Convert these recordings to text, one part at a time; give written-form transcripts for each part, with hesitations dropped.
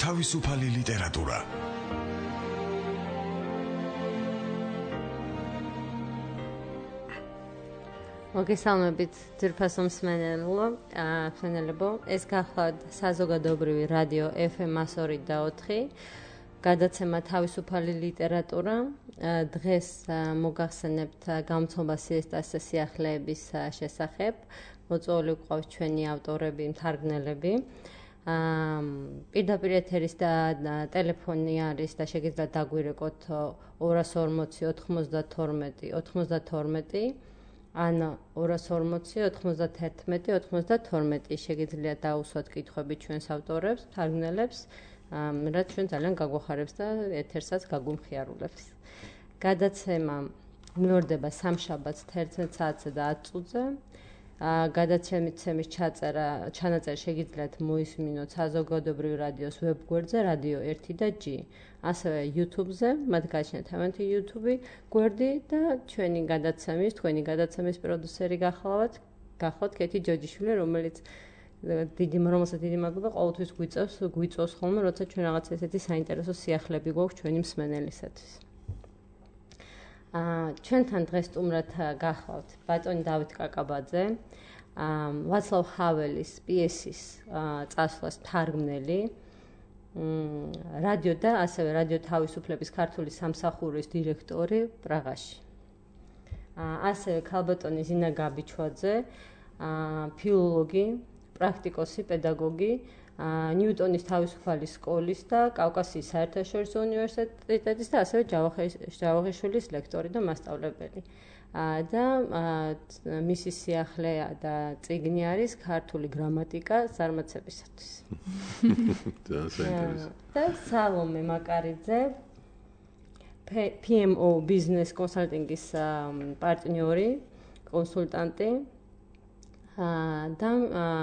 თავისუფალი ლიტერატურა. მოგესალმებით ძვირფასო მსმენელებო, ეს გახლავთ საზოგადოებრივი რადიო FM 102.4, გადაცემა თავისუფალი ლიტერატურა. დღეს მოგახსენებთ გამოცემა სიესტას სიახლეების შესახებ. მოწვეული გვყავს ჩვენი ავტორები, მთარგმნელები. პირდაპირ ეთერის და ტელეფონი არის და შეგიძლიათ დაგვირეკოთ 240 92 92 ან 240 91 92 შეგიძლიათ დაუსვათ კითხვები ჩვენს ავტორებს, მთარგმნელებს, რაც ჩვენ ძალიან გაგვახარებს და ეთერსაც გაგვიმხიარულებს. გადაცემა მეორდება სამშაბათს 11 საათზე და 10 წუთზე. გადაცემის ჩანაწერი შეგიძლიათ მოისმინოთ საზოგადოებრივი რადიოს ვებგვერდზე Radio 1 და G. ასევე YouTube-ზე, მათ გააჩნიათ თავიანთი YouTube გვერდი და თქვენი გადაცემის პროდიუსერი გახლავთ კეთი ჯოჯიშვილი, რომელსაც დიდი მადლობა ყოველთვის გვიწევს ხოლმე, როცა ჩვენ რაღაც ესეთი საინტერესო სიახლეები გვაქვს ჩვენი მსმენელისათვის. ჩვენთან დღეს სტუმრად გახლავთ ბატონი დავით კაკაბაძე, ვაცლავ ჰაველის პიესის წასვლას მთარგმნელი, რადიო და ასევე რადიო თავისუფლების ქართული სამსახურის დირექტორი პრაღაში. ასევე ქალბატონი ზინა გაბიჩვაძე, ფილოლოგი, პრაქტიკოსი, პედაგოგი, ნიუტონის თავისუფალი სკოლის და კავკასიის საერთაშორისო უნივერსიტეტის და ასევე ჯავახიშვილის ლექტორი და მასწავლებელი. და მისი სიახლე და წიგნი არის ქართული გრამატიკა ზარმაცებისათვის. და სალომე მაკარიძე, PMO Business Consulting-ის პარტნიორი, კონსულტანტი. და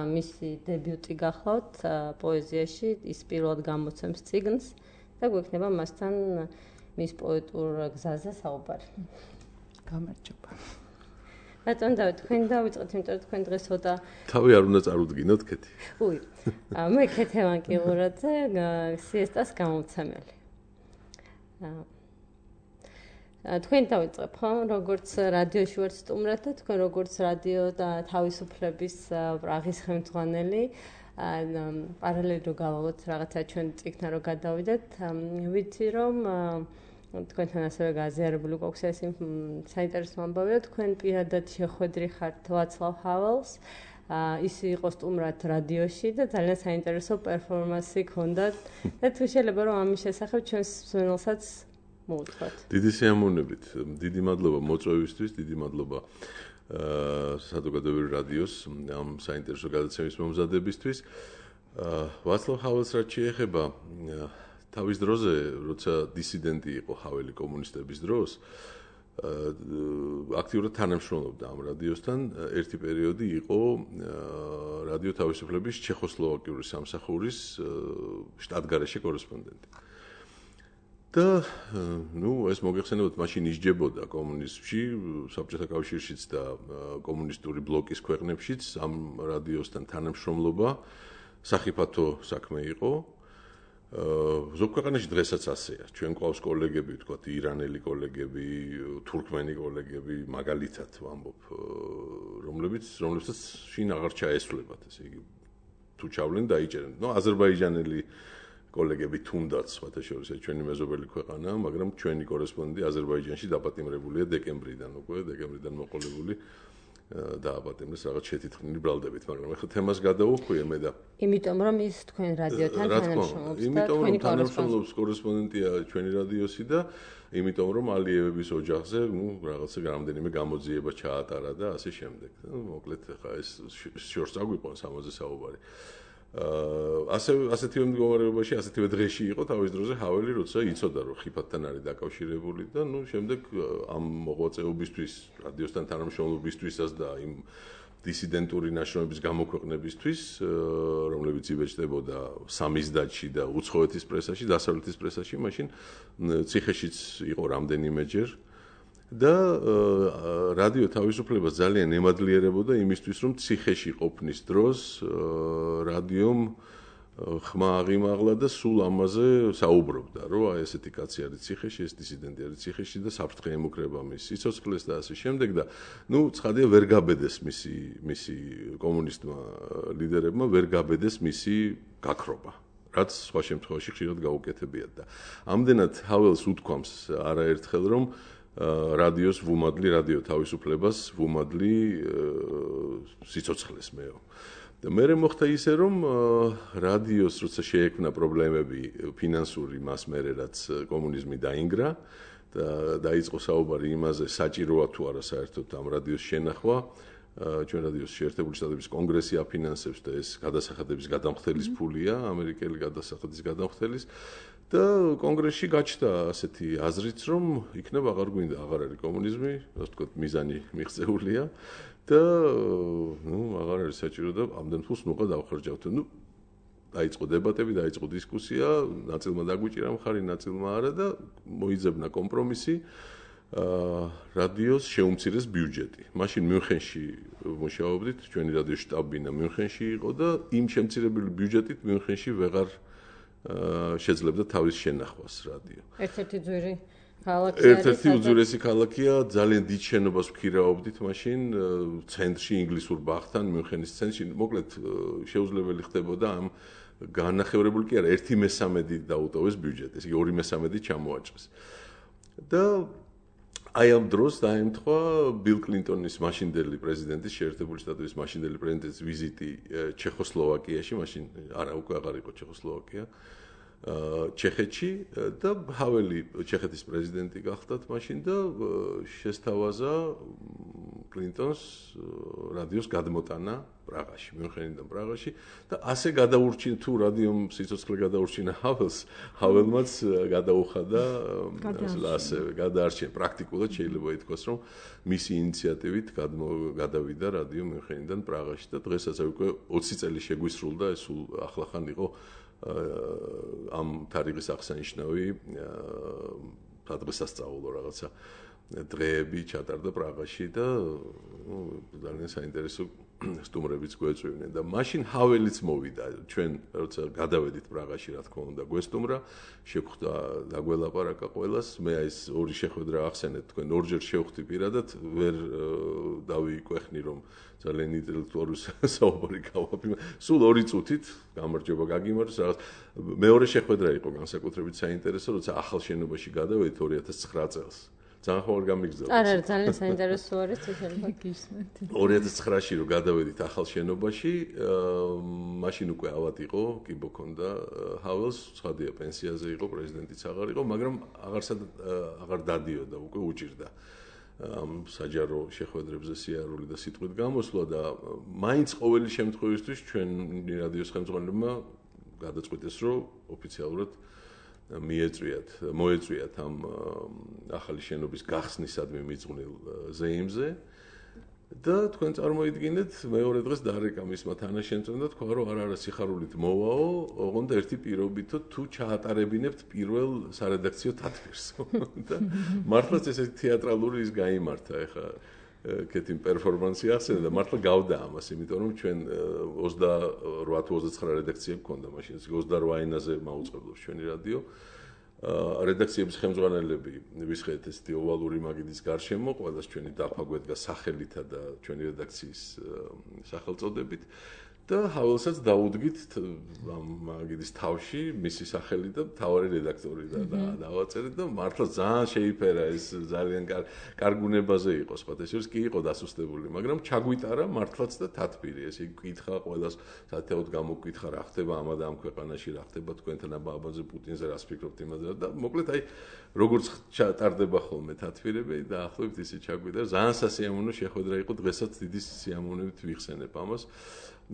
მისი დებიუტი გახლავთ პოეზიაში, ის პირველად გამოცემს წიგნს და გვექნება მასთან მის პოეტურ გზაზე საუბარი. გამარჯობა. ბატონ დავით, თქვენ დავიწყოთ, იმიტომ რომ თქვენ დღეს ცოტა თავი არ უნდა წარუდგინოთ, კეთი. მე ქეთევან კილურაძე, სიესტას გამომცემელი. თქვენ დავიწყებ, ხო? როგორც რადიოში ვართ სტუმრად და თქვენ როგორც რადიო და თავისუფლების პრაღის ხელმძღვანელი, პარალელურად რო გავალოთ რაღაცა ჩვენ წიგნთან რო გადავიდეთ, ვიცი რომ თქვენთან ასევე გაზიარებული გვაქვს ეს საინტერესო ამბავია, თქვენ პირადად შეხვედრი ხართ ვაცლავ ჰაველს, ის იყო სტუმრად რადიოში და ძალიან საინტერესო პერფორმანსი ჰქონდათ და თუ შეიძლება რომ ამის შესახებ ჩვენს მსმენელსაც მოუთხოთ. დიდი სიამოვნებით, დიდი მადლობა მოწვევისთვის, დიდი მადლობა საზოგადოებრივი რადიოს ამ საინტერესო გადაცემის მომზადებისთვის. ვაცლავ ჰაველს რაც შეეხება თავის დროზე, როცა დისიდენტი იყო ჰაველი კომუნისტების დროს, აქტიურად თანამშრომლობდა ამ რადიოსთან. ერთი პერიოდი იყო რადიო თავისუფლების ჩეხოსლოვაკიური სამსახურის შტატგარეშე კორესპონდენტი. და ეს მოგეხსენებათ, მაშინ ისჯებოდა კომუნიზმში, საბჭოთა კავშირშიც და კომუნისტური ბლოკის ქვეყნებშიც ამ რადიოსთან თანამშრომლობა სახიფათო საქმე იყო. ზოგ ქვეყანაში დღესაც ასეა. ჩვენ ყავს კოლეგები, ვთქვათ, ირანელი კოლეგები, თურქმენი კოლეგები, მაგალითად ვამბობ, რომლებსაც შინ აღარ ჩაესვლებათ, ესე იგი, თუ ჩავლენ დაიჭერენ. აზერბაიჯანელი კოლეგები თუნდაც, სხვათაშორის ჩვენი მეზობელი ქვეყანაა, მაგრამ ჩვენი კორესპონდენტი აზერბაიჯანში დაპატიმრებულია დეკემბრიდან მოყოლებული დააპატიმრეს რაღაც შეთითხმული ბრალდებით, მაგრამ ახლა თემას გადავუხვიე მე და იმიტომ რომ ის თქვენ რადიოთან თანამშრომლობს და თქვენი კორესპონდენტია ჩვენი რადიოსი და იმიტომ რომ ალიევების ოჯახზე, რაღაცა რამდენიმე გამოძიება ჩაატარა და ასე შემდეგ. მოკლედ ახლა ეს შორს აგვიყვანს ამაზე საუბარი. ასეთივე მდგომარეობაში, ასეთივე დღეში იყო თავის დროზე ჰაველი, როცა იცოდა რომ ხიფათთან არის დაკავშირებული და შემდეგ ამ მოღვაწეობისთვის, რადიოსთან თანამშრომლობისთვისაც და იმ დისიდენტური ნაშრომების გამოქვეყნებისთვის, რომლებიც იბეჭდებოდა სამიზდათში და უცხოეთის პრესაში, დასავლეთის პრესაში, მაშინ ციხეშიც იყო რამდენიმეჯერ და რადიო თავისუფლებას ძალიან ემადლიერებოდა იმისთვის, რომ ციხეში ყოფნის დროს რადიომ ხმა აღიმაღლა და სულ ამაზე საუბრობდა, რომ აი ესეთი კაცი არის ციხეში, ეს დისიდენტი არის ციხეში და საფრთხე ემუქრება მის სიცოცხლეს და ასე შემდეგ და ცხადია ვერ გაბედეს მისი კომუნისტმა ლიდერებმა ვერ გაბედეს მისი გაქრობა, რაც სხვა შემთხვევაში ხშირად გაუკეთებიათ და ამდენად ჰაველს უთქვამს არაერთხელ რომ რადიოს ვუმადლი, რადიო თავისუფლებას ვუმადლი სიცოცხლეს მეო. და მე მოხდა ისე რომ რადიოს როცა შეექმნა პრობლემები ფინანსური მას მერე რაც კომუნიზმი დაინგრა და დაიწყო საუბარი იმაზე საჭიროა თუ არა საერთოდ ამ რადიოს შენახვა ჩვენ რადიოს შეერთებული შტატების კონგრესი აფინანსებს და ეს გადასახადების გადამხდელის ფულია ამერიკელი გადასახადის გადამხდელის და კონგრესში გაჩნდა ასეთი აზრიც რომ იქნებ აღარ გვინდა აღარ არის კომუნიზმი ასე ვთქვათ მიზანი მიღწეულია და აღარ არის საჭირო და ამდენ ფულს ნუღა დავხარჯავთ. დაიწყო დებატები, დაიწყო დისკუსია, ნაწილმა დაგვიჭირა მხარი, ნაწილმა არა და მოიძებნა კომპრომისი რადიოს შეუმცირეს ბიუჯეტი. მაშინ მიუნხენში მუშაობდით, ჩვენი რადიოს შტაბ-ბინა მიუნხენში იყო და იმ შემცირებული ბიუჯეტით მიუნხენში ვეღარ შეძლებდა თავის შენახვას რადიო. ერთ-ერთი ძვირი ქალაქი ერთ-ერთი უძვირესი ქალაქია, ძალიან დიდ შენობას ვქირაობდით მაშინ ცენტრში ინგლისურ ბაღთან, მიუნხენის ცენტრში. მოკლედ შეუძლებელი ხდებოდა ამ განახევრებული კი არა, 1/3 დაუტოვეს ბიუჯეტი, ესე იგი 2/3 ჩამოაჭრეს. და აი ამ დროს დაემთხვა ბილ კლინტონის მაშინდელი პრეზიდენტის, შეერთებული შტატების მაშინდელი პრეზიდენტის ვიზიტი ჩეხოსლოვაკიაში, მაშინ არა უკვე აღარ იყო ჩეხოსლოვაკია. ჩეხეთში და ჰაველი ჩეხეთის პრეზიდენტი გახდათ მაშინ და შესთავაზა კლინტონს რადიოს გადმოტანა პრაღაში, მიუნხენიდან პრაღაში და ასე გადაურჩინა თუ რადიომ სიცოცხლე გადაურჩინა ჰაველმაც გადაუხადა ასე გადაარჩინა პრაქტიკულად შეიძლება ითქვას რომ მისი ინიციატივით გადავიდა რადიო მიუნხენიდან პრაღაში და დღესაც უკვე 20 წელი შეგვისრულდა ეს სულ ახლახან იყო ამ თარიღის აღსანიშნავი დღესასწაულო რაღაცა დღეები ჩატარდა პრაღაში და ძალიან საინტერესო სტუმრებიც გვეწვივნენ და მაშინ ჰაველიც მოვიდა ჩვენ როცა გადავედით პრაღაში რა თქმა უნდა გვესტუმრა შეგხვდა დაგველაპარაკა ყველას მე ეს ორი შეხვედრა ახსენეთ თქვენ ორჯერ შევხვდი პირადად ვერ დავიკვეხნი რომ ძალიან ინტელექტუალური საუბარი გავაფრთხილე. სულ 2 წუთით გამარჯობა გაგიმარჯოს რაღაც მეორე შეხვედრა იყო განსაკუთრებით საინტერესო, როცა ახალ შენობაში გადავედით 2009 წელს. ძალიან ხوار გამიგზავნა. არა, ძალიან საინტერესო არის შეიძლება გისმენთ. 2009-ში რო გადავედით ახალ შენობაში, მაშინ უკვე ავად იყო, კი ბოქონდა ჰაველს, ცხადია პენსიაზე იყო, პრეზიდენტიც აღარ იყო, მაგრამ აღარ დადიოდა, უკვე უჭირდა. ამ საჯარო შეხვედრებზე სიარული და სიტყვით გამოსვლა და მაინც ყოველი შემთხვევისთვის ჩვენი რადიოს ხელმძღვანელებმა გადაწყვიტეს რომ ოფიციალურად მოეწვიათ ამ ახალი შენობის გახსნისადმი მიძღვნილ ზეიმზე და თქვენ წარმოიდგინეთ მეორე დღეს დარეკა მისმა თანაშემწემ და თქვა რომ არა სიხარულით მოვაო, ოღონდ ერთი პირობითო თუ ჩაატარებინებთ პირველ სარედაქციო თათბირს და მართლაც ესეთი თეატრალური ის გაიმართა ეხა კეთილ პერფორმანსი ახსენე და მართლა გავდა ამას, იმიტომ რომ ჩვენ 28 თუ 29 რედაქცია გქონდა მაშინ 28 ენაზე მაუწყებლობს ჩვენი რადიო. რედაქციების ხელმძღვანელები ვისხეთ ესეთი ოვალური მაგიდის გარშემო, ყველას ჩვენი დაფა გვედგა სახელითა და ჩვენი რედაქციის სახელწოდებით და ჰაველსაც დაუდგით ამ მაგიდის თავში მისი სახელი და მთავარი რედაქტორი და დავაწერეთ და მართლა ძალიან შეიფერა ეს ძალიან კარგუნებაზე იყო სხვათა შორის კი იყო დასუსტებული, მაგრამ ჩაგვიტარა მართლაც და თათბირი ესე კითხა ყველას სათეოდ გამოგკითხა რა ხდება ამა და ამ ქვეყანაში რა ხდება თქვენთან აბაზე პუტინზე რას ფიქრობთ იმაზე და მოკლედ აი როგორც ჩატარდება ხოლმე თათბირები და ახლობთ ისე ჩაგვიტარა ძალიან სასიამოვნო შეხვედრა იყო დღესაც დიდი სიამოვნებით ვიხსენებ ამას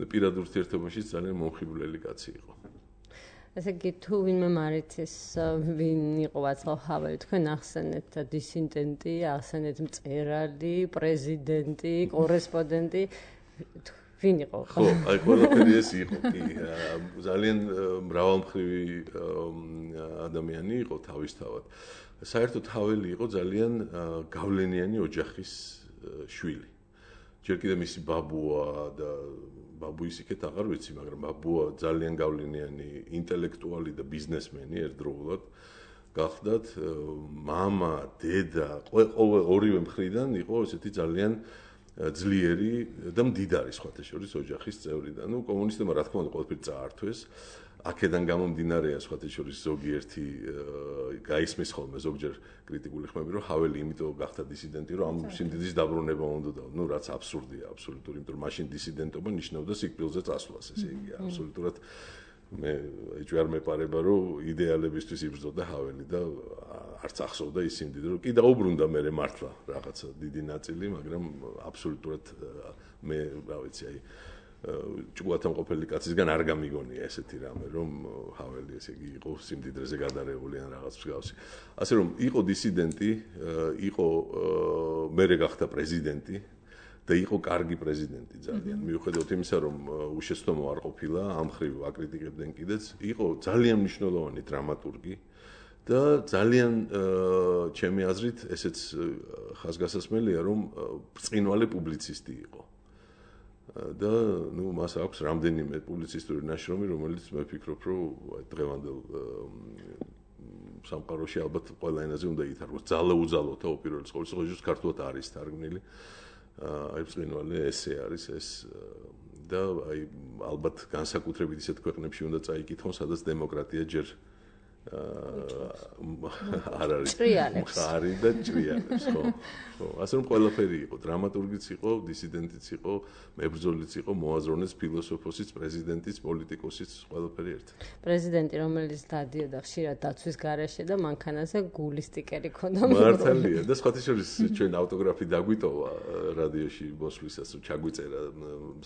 პირად ურთიერთობაში ძალიან მომხიბვლელი კაცი იყო. ესე იგი თუ ვინმე მარიცის ვინ იყო ვაცლავ ჰაველი თქვენ ახსენეთ დისიდენტი, ახსენეთ მწერალი, პრეზიდენტი, კორესპონდენტი ვინ იყო? ხო, აი ყველაფერი ეს იყო კი ძალიან მრავალმხრივი ადამიანი იყო თავისთავად. საერთოდ ჰაველი იყო ძალიან გავლენიანი ოჯახის შვილი. ჯერ კიდევ მისი ბაბუა და ბაბუის იქეთ აღარ ვიცი, მაგრამ ბაბუა ძალიან გავლენიანი ინტელექტუალი და ბიზნესმენი ერთდროულად გახდათ. მამა, დედა, ორივე მხრიდან იყო ესეთი ძალიან ძლიერი და მდიდარი სხვათა შორის ოჯახის წევრი და კომუნისტებმა რა თქმა უნდა ყველაფერი წაართვეს. აქედან გამომდინარეა სხვათა შორის ზოგიერთი გაისმის ხოლმე ზოგჯერ კრიტიკული ხმები, რომ ჰაველი იმიტომ გახდა დისიდენტი, რომ ამ სიმდიდრის დაბრუნება უნდა რაც აბსურდია, აბსოლუტური, იმიტომ რომ მაშინ დისიდენტობა ნიშნავდა სიკვდილზე წასვლას, ესე იგი, აბსოლუტურად მე ეჭვარ მეპარება, რომ იდეალებისთვის იბრძოდა ჰაველი და არც ახსოვდა ის სიმდიდრე, რომ კი დაუბრუნდა მე მართლა რაღაცა დიდი ნაწილი, მაგრამ აბსოლუტურად მე რა ვიცი, აი ჭუათამ ყოფილი კაცისგან არ გამიგონია ესეთი რამე, რომ ჰაველი ესე იგი იყო სიმდიდრეზე გადარეული ან რაღაც მსგავსი. ასე რომ იყო დისიდენტი, იყო მერე გახდა პრეზიდენტი და იყო კარგი პრეზიდენტი ძალიან. მიუხედავად იმისა, რომ უშეცდომო არ ყოფილა, ამ ხრივ აკრიტიკებდნენ კიდეც, იყო ძალიან მნიშვნელოვანი დრამატურგი და ძალიან ჩემი აზრით ესეც ხაზგასასმელია, რომ ბრწყინვალე პუბლიცისტი იყო. და მას აქვს რამდენიმე პუბლიცისტური ნაშრომი, რომელიც მე ვფიქრობ, რომ დღევანდელ სამყაროში ალბათ ყველა ენაზე უნდა ითარგმნოს. ძალაუძალოთა უპირველეს ყოვლისა ქართულად არის თარგმნილი. აი ბრწყინვალე ესე არის ეს და აი ალბათ განსაკუთრებით ისეთ ქვეყნებში უნდა წაიკითხონ, სადაც დემოკრატია ჯერ არ არის მხარი და ჭრიალებს, ხო? ხო, ასე რომ ყველაფერი იყო, დრამატურგიც იყო, დისიდენტიც იყო, მებრძოლიც იყო, მოაზროვნეც, ფილოსოფოსიც, პრეზიდენტიც, პოლიტიკოსიც, ყველაფერი ერთად. პრეზიდენტი, რომელიც დადიოდა ხშირად დაცვის გარეშე და მანქანაზე გულის სტიკერი ქონდა. მართალია და სხვათა შორის ჩვენ ავტოგრაფი დაგვიტოვა რადიოში მოსვლისას, რომ ჩაგვიწერა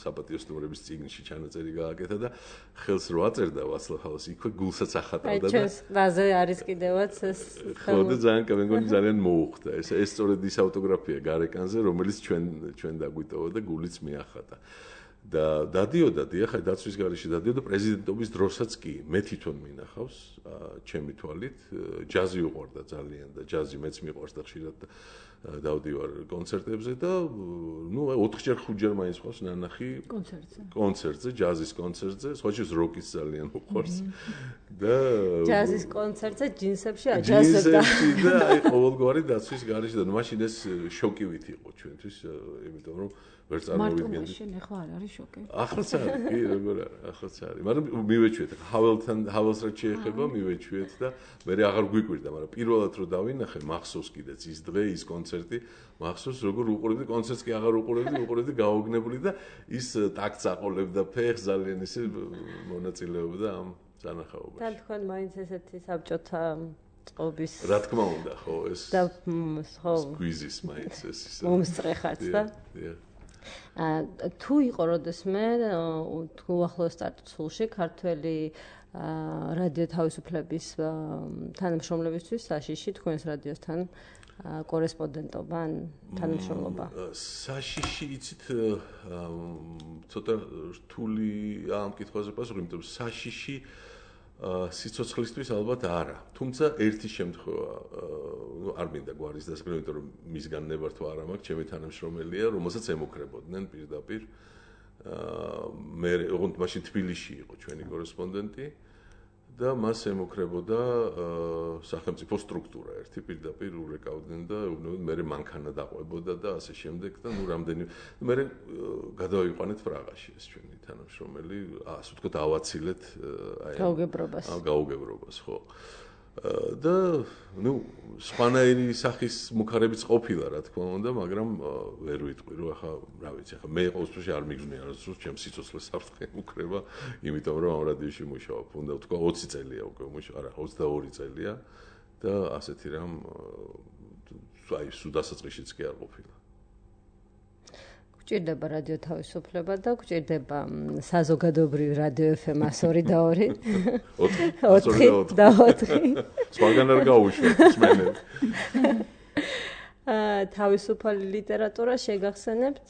საპატიო სტუმრების წიგნში ჩანაწერი გააკეთა და ხელს რო აწერდა ვაცლავ ჰაველს, იქვე გულსაც ახატავდა და რაზე არის კიდევაც ეს ხო და ძალიან კამენგონი ძალიან მოუხდა ეს სწორედ ის ავტოგრაფია გარეკანზე რომელიც ჩვენ დაგვიტოვა და გულიც მიახატა და დადიოდა დიახ დაცვის გარეშე დადიოდა პრეზიდენტობის დროსაც კი მე თვითონ მინახავს ჩემი თვალით ჯაზი უყვარდა ძალიან და ჯაზი მეც მიყვარს და ხშირად დავდივარ კონცერტებზე და 4-ჯერ 5-ჯერ მაინც ხავს ნანახი კონცერტზე ჯაზის კონცერტზე სხვაჯერ როკის ძალიან უყვარს და ჯაზის კონცერტზე ჯინსებში აჯაზებდა და აი ყოველგვარი დაცვის გარეშე და მაშინ ეს შოკივით იყო ჩვენთვის იმიტომ რომ ვერ წარმოვიდგენდი მარტო მაშინ ახლა არ არის შოკი ახლაც არის კი როგორ არის ახლაც არის მაგრამ მივეჩვიეთ ჰაველს რაც შეეხება მივეჩვიეთ და მე აღარ გვიკვირდა მაგრამ პირველად რო დავინახე მახსოვს კიდეც ის დღე ის კონცერტი მახსოვს როგორ უყურებდი კონცერტს კი აღარ უყურებდი გაუგნებული და ის ტაქტს აყოლებდა ფეხს ძალიან ისე მონაწილეობდა ამ სანახაობაში თან თქვენ მაინც ესეთი საბჭოთა წყობის რა თქმა უნდა ხო ეს და ხო სკვიზის მაინც ეს ისე მომსწრეხარც და თუ იყო როდესმე თუ ახლოს სტატუსში ქართველი რადიო თავისუფლების თანამშრომლებისთვის საშიში თქვენს რადიოსთან კორესპონდენტობა ან თანამშრომლობა საშიში იცით ცოტა რთული ამ კითხვაზე პასუხი იმიტომ საშიში სიცოცხლისთვის ალბათ არა. თუმცა ერთი შემთხვევა არ მინდა გვარის დასაქმება, იმიტომ რომ მისგან ნებართვა არ მაქვს, ჩემი თანამშრომელია, რომელსაც ემუქრებოდნენ პირდაპირ. მე ოღონდ მაშინ თბილისში იყო ჩვენი კორესპონდენტი და მას ემუქრებოდა სახელმწიფო სტრუქტურა ერთი პირდაპირ ურეკავდნენ და მე მანქანა დაყვებოდა და ასე შემდეგ და რამდენი მე გადავიყვანეთ პრაღაში ეს ჩვენი თანამშრომელი ასე ვთქვათ ავაცილეთ აი გაუგებრობას ხო და სხვანაირი სახის მუქარებიც ყოფილა რა თქმა უნდა მაგრამ ვერ ვიტყვი რომ ახლა რა ვიცი ახლა მე ყოველთვის არ მიგზნია რომ ჩემ სიცოცხლეს საფრთხე უკრება იმიტომ რომ ამ რადიოში მუშაობ უნდა ვთქვა 20 წელია უკვე მუშაობ არა 22 წელია და ასეთი რამ აი სუდასაწყისიც კი არ ყოფილა გვჭირდება რადიო თავისუფლება და გვჭირდება საზოგადოებრივი რადიო FM 102 და 2 4 სხვაგან არ გაუშვათ მსმენელი თავისუფალი ლიტერატურა შეგახსენებთ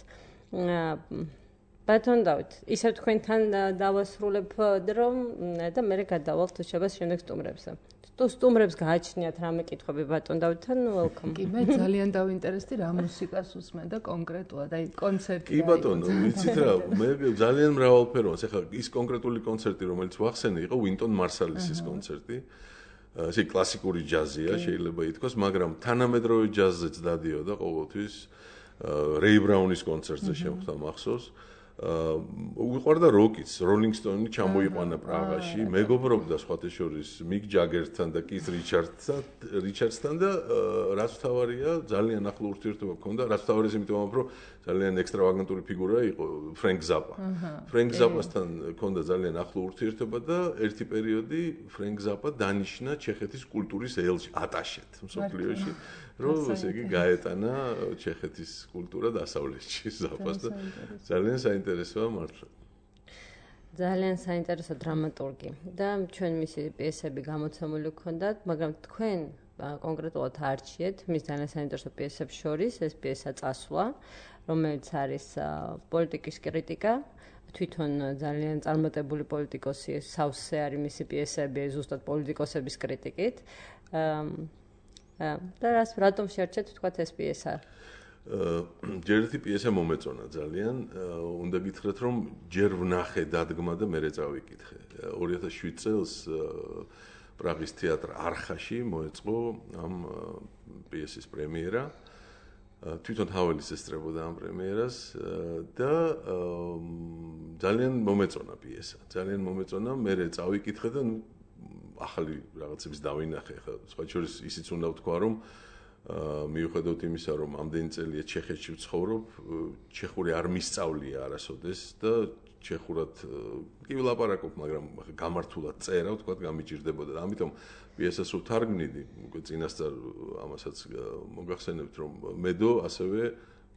ბატონ დავით ისევ თქვენთან დავასრულებ რომ და მე გადავალთ შეებას შემდეგ სტუმრებზე სტუმრებს გააჩნიათ რამე კითხვები ბატონ დავითთან, welcome. კი, მე ძალიან დავინტერესდი რა მუსიკას უსმენ და კონკრეტულად, აი კონცერტი. კი ბატონო, ვიცით რა, მე ძალიან მრავალფეროვანს. ეხლა ის კონკრეტული კონცერტი, რომელიც ვახსენე, იყო ვინტონ მარსალისის კონცერტი. ესე კლასიკური ჯაზია, შეიძლება ითქვას, მაგრამ თანამედროვე ჯაზზეც დადიოდა ყოველთვის. რეი ბრაუნის კონცერტზე შემხვდა მახსოვს. უყვარდა როკიც, როლინგ სტოუნი ჩამოიყვანა პრაღაში, მეგობრობდა სხვათა შორის მიკ ჯაგერთან და კის რიჩარდსთან და რაც თავარია, ძალიან ახლო ურთიერთობა ჰქონდა, რაც თავარია იმიტომ რომ ძალიან ექსტრავაგანტური ფიგურა იყო ფრენკ ზაპა. ფრენკ ზაპასთან ჰქონდა ძალიან ახლო ურთიერთობა და ერთი პერიოდი ფრენკ ზაპა დანიშნა ჩეხეთის კულტურის ელჩი ატაშეთ მსოფლიოში. რომ ესე იგი გაეტანა ჩეხეთის კულტურა დასავლეთში ზაპას და ძალიან საინტერესოა მართლა. ძალიან საინტერესო დრამატურგი და ჩვენ მისი პიესები გამოცემული გქონდათ, მაგრამ თქვენ კონკრეტულად არჩიეთ მის ძალიან საინტერესო პიესებს შორის ეს პიესა წასვლა, რომელიც არის პოლიტიკის კრიტიკა. თვითონ ძალიან წარმატებული პოლიტიკოსი, სავსე არის მისი პიესები ზუსტად პოლიტიკოსების კრიტიკით. და რატომ შეარჩეთ თქვათ ეს პიესა? ჯერ ერთი პიესა მომეწონა ძალიან. უნდა გითხრათ რომ ჯერ ვნახე დადგმა და მერე წავიკითხე. 2007 წელს პრაღის თეატრ არხაში მოეწყო ამ პიესის პრემიერა. თვითონ ჰაველის ესწრებოდა ამ პრემიერას და ძალიან მომეწონა პიესა. ძალიან მომეწონა, მერე წავიკითხე და ახალი რაღაცების დავინახე. ხა სხვა შორის ისიც უნდა ვთქვა, რომ მიუხედავად იმისა, რომ ამდენი წელია ჩეხეთში ვცხოვრობ, ჩეხური არ მისწავლია არასოდეს და ჩეხურად კი ვილაპარაკობ, მაგრამ გამართულად წერა, ვთქვათ, გამიჭირდებოდა. ამიტომ პიესას ვთარგმნიდი, უკვე წინასწარ ამასაც მოგახსენებთ, რომ მედო ასევე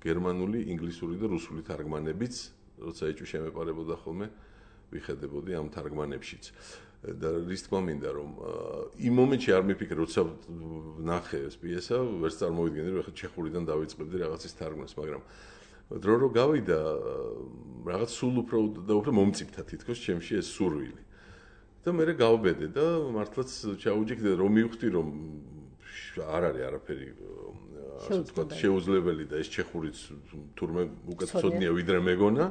გერმანული, ინგლისური და რუსული თარგმანებიც, როცა ეჭვი შემეპარებოდა ხოლმე, ვიხედებოდი ამ თარგმანებშიც. და რის თქმა მინდა რომ იმ მომენტში არ მიფიქრე როცა ნახე ეს პიესა ვერც წარმოვიდგენდი რომ ახლა ჩეხურიდან დავიწყებდი რაღაცის თარგმნას მაგრამ დრო რო გავიდა რაღაც სულ უფრო და უფრო მომწიფთა თითქოს ჩემში ეს სურვილი და მე გავბედე და მართლაც ჩაუჯიქდი რომ მივხვდი რომ არ არის არაფერი ასე ვთქვათ შეუძლებელი და ეს ჩეხურიც თურმე უკეთესოდნია ვიდრე მეგონა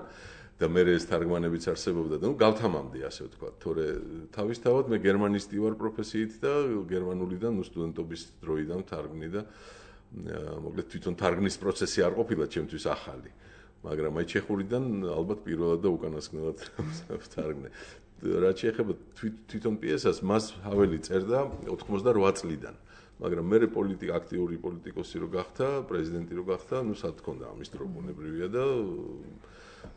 და მე ეს თარგმანებიც არსებობდა და გავთამამდი ასე ვთქვათ, თორე თავისთავად მე გერმანისტი ვარ პროფესიით და გერმანულიდან სტუდენტობის დროიდან თარგმნი და მოკლედ თვითონ თარგმნის პროცესი არ ყოფილა ჩემთვის ახალი, მაგრამ აი ჩეხურიდან ალბათ პირველად და უკანასკნელად ვთარგმნე. რაც შეეხება თვითონ პიესას, მას ჰაველი წერდა 88 წლიდან, მაგრამ მე აქტიური პოლიტიკოსი რო გახდა, პრეზიდენტი რო გახდა, ნუ სად თქონდა ამის დრო ბუნებრივია და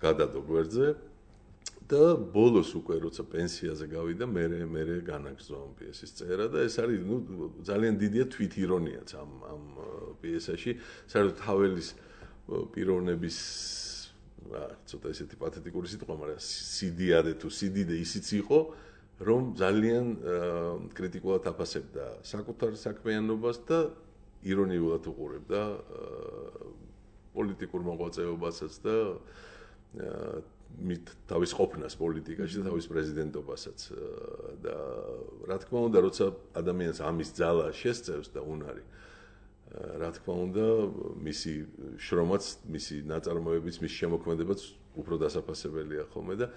გადადო გვერდზე და ბოლოს უკვე როცა პენსიაზე გავიდა მე განაგრძო ამ პიესის წერა და ეს არის ნუ ძალიან დიდია თვითირონიაც ამ პიესაში საერთოდ ჰაველის პიროვნების ცოტა ესეთი პათეტიკური სიტყვა მაგრამ სიდიადე თუ სიდიდე ისიც იყო რომ ძალიან კრიტიკულად აფასებდა საკუთარ საქმიანობას და ირონიულად უყურებდა პოლიტიკურ მოღვაწეობასაც და თავის ყოფნას პოლიტიკაში და თავის პრეზიდენტობასაც და რა თქმა უნდა როცა ადამიანს ამის ძალა შესწევს და უნარი რა თქმა უნდა მისი შრომაც მისი ნაწარმოებიც მისი შემოქმედებაც უფრო დასაფასებელია ხოლმე და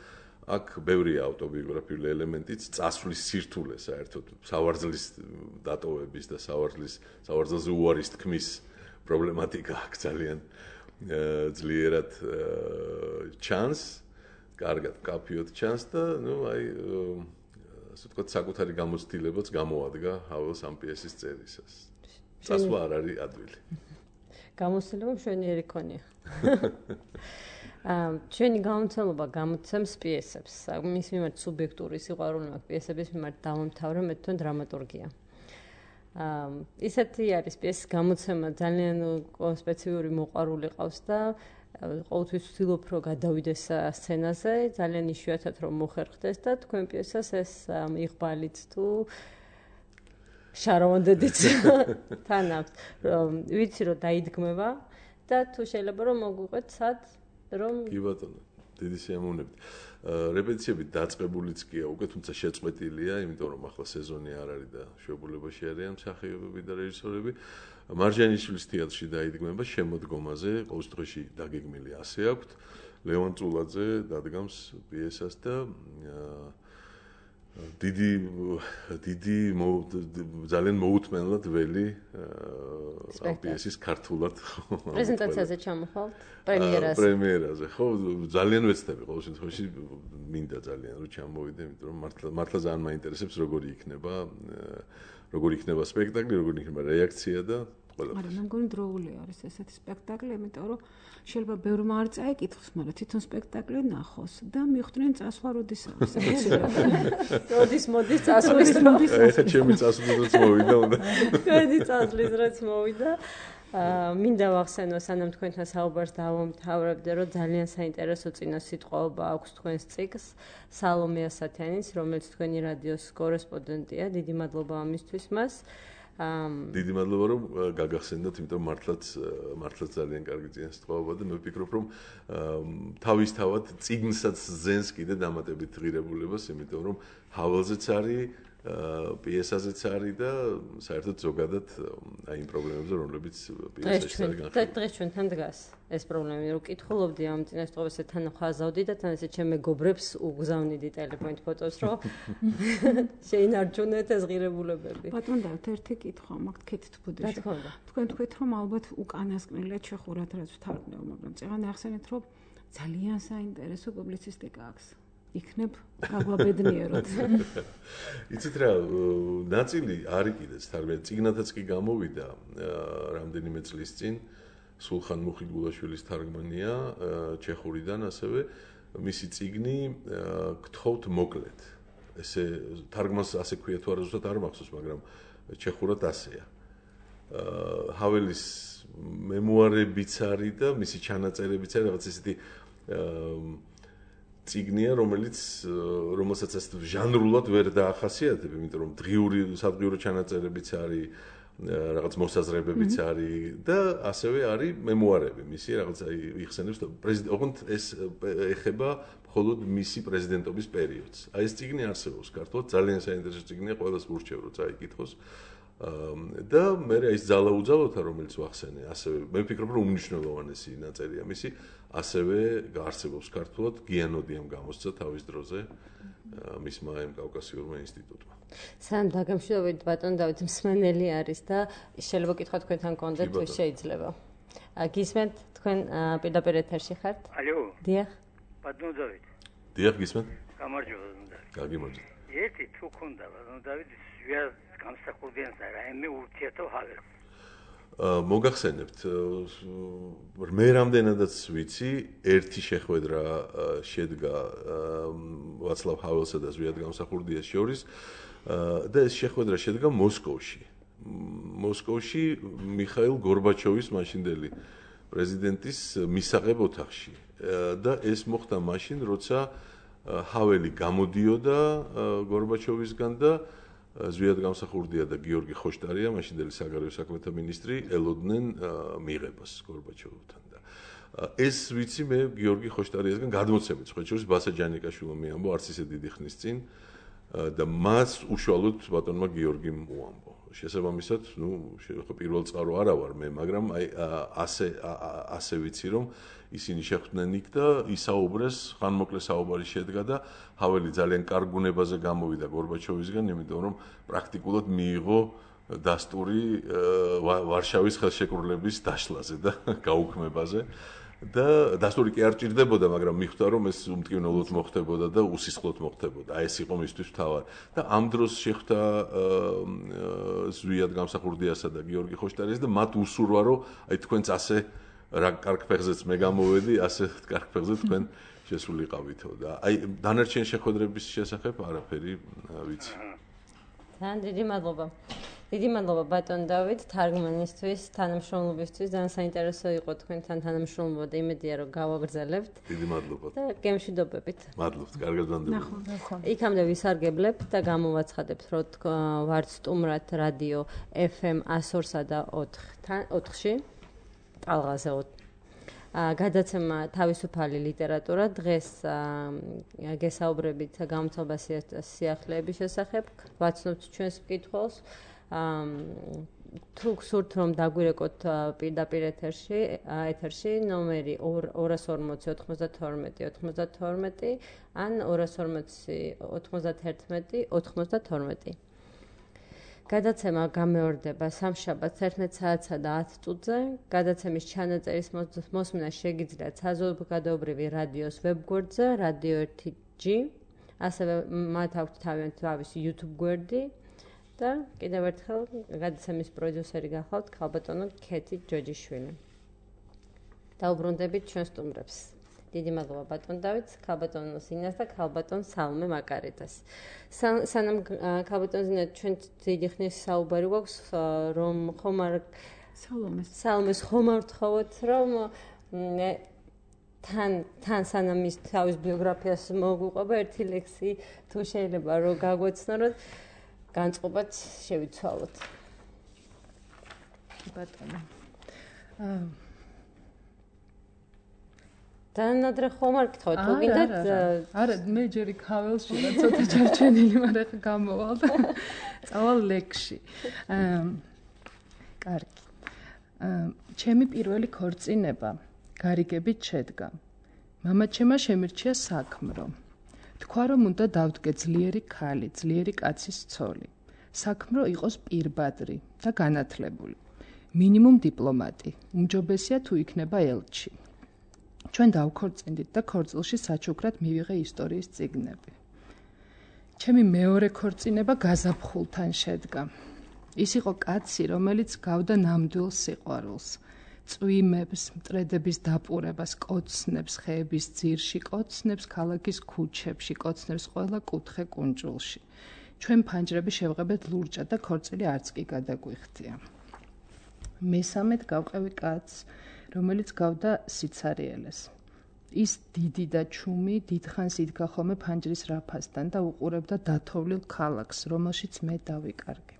აქ ბევრია ავტობიოგრაფიული ელემენტიც წასვლის სირთულე საერთოდ სავარძლის დატოვების და სავარძელზე უარის თქმის პრობლემატიკა აქ ძალიან ძლიერად ჩანს, კარგად კაფიოდ ჩანს და ნუ აი ასე ვთქვათ საკუთარი გამოცდილებაც გამოადგა ჰაველს ამ პიესის წერისას. წასვლა არ არის ადვილი. გამოცდილება მშვენიერი ქონია. ჩვენი გამოცემობა გამოცემს პიესებს. მის მიმართ სუბიექტური სიყვარული მაქვს პიესების მიმართ დავამთავრე მე თვითონ დრამატურგია. ისეთი არის პიესის გამოცემა ძალიან სპეციფიური მოყვარული ყავს და ყოველთვის ვცდილობ რომ გადავიდეს სცენაზე ძალიან იშვიათად რომ მოხერხდეს და თქვენ პიესას ეს იღბალით თუ შაროვანდედიც თან აქვს რომ ვიცი რომ დაიდგმება და თუ შეიძლება რომ მოგვიყვეთ სად რომ კი ბატონო დიდი სიამოვნებით რეპეტიციები დაწყებულიც კი უკვე, თუმცა შეწყვეტილია, იმიტომ რომ ახლა სეზონი არ არის და შვებულებაში არიან მსახიობები და რეჟისორები. მარჯანიშვილის თეატრში დაიდგმება შემოდგომაზე, ყოველ შემთხვევაში დაგეგმილი ასე აქვთ. ლევან წულაძე დადგამს პიესას და დიდი ძალიან მოუთმენლად ველი პიესის ქართულად პრეზენტაციაზე ჩამოხვალთ პრემიერაზე ხო ძალიან ვეცდები ყოველ შემთხვევაში მინდა ძალიან რომ ჩამოვიდე იმიტომ რომ მართლა ძალიან მაინტერესებს როგორი იქნება სპექტაკლი როგორი იქნება რეაქცია და მაგრამ მე მგონი დროული არის ესეთი სპექტაკლი, იმიტომ რომ შეიძლება ბევრმა არ წაიკითხოს, მაგრამ თვითონ სპექტაკლი ნახოს და მიხვდნენ წასვლა როდის არის. როდის მოდის წასვლის დრო. ეხა ჩემი წასვლაც მოვიდა უნდა. ჩვენი წასვლის დროც მოვიდა. მინდა ვახსენო, სანამ თქვენთან საუბარს დავამთავრებდე, რომ ძალიან საინტერესო წინასიტყვაობა აქვს თქვენს ციკლს, სალომე ასათიანის, რომელიც თქვენი რადიოს კორესპონდენტია. დიდი მადლობა ამისთვის მას. დიდი მადლობა რომ გაგახსენდათ, იმიტომ მართლაც ძალიან კარგი წინასიტყვაობა და მე ვფიქრობ რომ თავისთავად წიგნსაც ზენს კიდე დამატებით ღირებულებას, იმიტომ რომ ჰაველზეც არის, პიესაზეც არის და საერთოდ ზოგადად აი იმ პრობლემებზე რომლებიც პიესაში არის განხილული. დღეს ჩვენთან დგას ეს პრობლემა, რომ კითხულობდი ამ წინასიტყვაობას თან ხაზავდი და თან ესე ჩემ მეგობრებს უგზავნიდი ტელეფონით ფოტოს, რომ შეინარჩუნეთ ეს ღირებულებები. ბატონო, ერთი კითხვა მაქვს ქეთით ბუდეში. თქვენ თქვით რომ ალბათ უკანასკნელად შეხურად რაც ვთარგმნევ, მაგრამ წეგან ახსენეთ რომ ძალიან საინტერესო პუბლიცისტიკა აქვს. იქნებ გაგვაბედნიეროთ. იცით რა, ნაწილი არის კიდეც თარგმნილი, წიგნათაც კი გამოვიდა რამდენიმე წლის წინ. სულხან მუხიგულაშვილის თარგმანია ჩეხურიდან ასევე მისი წიგნი გთხოვთ მოკლედ. ესე თარგმანს ასე ქვია თუ არა ზუსტად არ მახსოვს, მაგრამ ჩეხურად ასეა. ჰაველის მემუარებიც არის და მისი ჩანაწერებიც არის რაღაც ესეთი წიგნია, რომელსაც ასე ჟანრულად ვერ დაახასიათებ, იმიტომ რომ სადღიურო ჩანაწერებიც არის, რაღაც მოსაზრებებიც არის და ასევე არის მემუარები. მისი რაღაც აი იხსენებს ოღონდ ეს ეხება მხოლოდ მისი პრეზიდენტობის პერიოდს. აი ეს წიგნი არსებობს ქართულად, ძალიან საინტერესო წიგნია, ყველას ვურჩევ რომ წაიკითხოს. და მე ის ძალაუძალოთა რომელიც ვახსენე, ასევე მე ვფიქრობ რომ უმნიშვნელოვანესი ნაწერია მისი, ასევე არსებობს ქართულად, გიანოდიამ გამოსცა თავის დროზე მისმა ამ კავკასიურმა ინსტიტუტმა. სანამ დაგემშვიდობებით ბატონ დავით მსმენელი არის და შეიძლება კითხვა თქვენთან კონდეთ თუ შეიძლება. გისმენთ თქვენ პირდაპირ ეთერში ხართ? ალო. დიახ. ბატონ დავით. დიახ, გისმენთ? გამარჯობა ბატონ დავით. გაგიმარჯობა. ერთი თუ ქონდა ბატონ დავით, ვიარ გამსახურდიან და რაიმე ურთიერთო ჰაველს. მოგახსენებთ, მე რამდენადაც ვიცი, ერთი შეხვედრა შედგა ვაცლავ ჰაველსა და ზვიად გამსახურდიას შორის და ეს შეხვედრა შედგა მოსკოვში. მოსკოვში მიხაილ გორბაჩოვის მაშინდელი პრეზიდენტის მისაღებ ოთახში და ეს მოხდა მაშინ, როცა ჰაველი გამოდიოდა გორბაჩოვისგან და ზვიად გამსახურდია და გიორგი ხოშტარია, მაშინდელი საგარეო საქმეთა მინისტრი, ელოდნენ მიღებას გორბაჩოვთან და ეს ვიცი მე გიორგი ხოშტარიასგან გადმოცემით, სხვა შორის ბასა ჯანიკაშვილმა მიამბო არც ისე დიდი ხნის წინ და მას უშუალოდ ბატონმა გიორგიმ უამბო. შესაბამისად, ხო პირველ წყარო არა ვარ მე, მაგრამ აი ასე ვიცი რომ ისინი შეხვდნენ იქ და ისაუბრეს, ხანმოკლე საუბარი შედგა და ჰაველი ძალიან კარგ გუნებაზე გამოვიდა გორბაჩოვისგან, იმიტომ რომ პრაქტიკულად მიიღო დასტური ვარშავის ხელშეკრულების დაშლაზე და გაუქმებაზე და დასტური კი არ ჭირდებოდა, მაგრამ მიხვდა რომ ეს უმტკივნეულოდ მოხდებოდა და უსისხლოდ მოხდებოდა. აი ეს იყო მისთვის თავად. და ამ დროს შეხვდა ზვიად გამსახურდიასა და გიორგი ხოშტარიას და მათ უსურვა რომ აი თქვენც ასე რა კარგ ფეხზეც მე გამოვედი, ასე კარგ ფეხზე თქვენ შესულიყავითო და აი დანარჩენ შეხვედრების შესახებ არაფერი ვიცი. ძალიან დიდი მადლობა. დიდი მადლობა ბატონ დავით თარგმანისთვის, თანამშრომლობისთვის. ძალიან საინტერესო იყო თქვენთან თანამშრომლობა და იმედია რომ გავაგრძელებთ. დიდი მადლობა. და გემშვიდობებით. მადლობთ, კარგად ვანდებით. იქამდე ვისარგებლებთ და გამოვაცხადებთ, რომ ვართ სტუმრად რადიო FM 102-სა და 4-ში. ტალღაზე გადაცემა თავისუფალი ლიტერატურა დღეს გესაუბრებით გამოცვალ სიახლეების შესახებ, ვაცნობთ ჩვენს მკითხველს. თუ გსურთ რომ დაგვირეკოთ პირდაპირ ეთერში ნომერი 240-92-92 ან 240-91-92. გადაცემა გამეორდება სამშაბათს 11 საათსა და 10 წუთზე. გადაცემის ჩანაწერის მოსმენა შეგიძლიათ საზოგადოებრივი რადიოს ვებგვერდზე Radio 1G, ასევე მათ აქვთ თავისი YouTube გვერდი და კიდევ ერთხელ გადაცემის პროდიუსერი გახლავთ ქალბატონო ქეთი ჯოჯიშვილი. დაუბრუნდებით ჩვენ სტუმრებს. დიდი მადლობა ბატონ დავითს, ქალბატონ სინას და ქალბატონ სალმე მაკარიტას. სანამ ქალბატონ სინა ჩვენ დიდი ხნის საუბარი გვაქვს რომ ხომ არ სალმეს ხომ არ ვთხოვოთ რომ თან სანამ ის თავის ბიოგრაფიას მოგვიყვება ერთი ლექსი თუ შეიძლება რომ გაგვეცნოთ განწყობაც შევიცვალოთ. ბატონო. დანადრე ხომ არ გთხოვთ, თუ გინდათ? არა, მე ჯერი ქაველში რა ცოტა ჩარჩენილი, მაგრამ ხა გამოვალ და წავალ ლექსში. კარგი. ჩემი პირველი ქორწინება გარიგებით შედგა. მამაჩემმა შემირჩია საქმრო. თქვა რომ უნდა დავდგე ძლიერი ქალი, ძლიერი კაცის ცოლი. საქმრო იყოს პირბადრი და განათლებული. მინიმუმ დიპლომატი. უმჯობესია თუ იქნება ელჩი. ჩვენ დავქორწინდით და ქორწილში საჩუქრად მივიღე ისტორიის წიგნები. ჩემი მეორე ქორწინება გაზაფხულთან შედგა. ის იყო კაცი, რომელიც გავდა ნამდვილ სიყვარულს. წვიმებს, მტრედების დაპურებას, კოცნებს ხეების ძირში, კოცნებს ქალაქის ქუჩებში, კოცნებს ყველა კუთხე კუნჭულში. ჩვენ ფანჯრები შევღებეთ ლურჯად და ქორწილი არც კი გადაგვიხდია. მესამედ გავყევი კაცს, რომელიც გავდა სიცარიელეს. ის დიდი და ჩუმი დიდხანს იდგა ხოლმე ფანჯრის რაფასთან და უყურებდა დათოვლილ ქალაქს, რომელშიც მე დავიკარგე.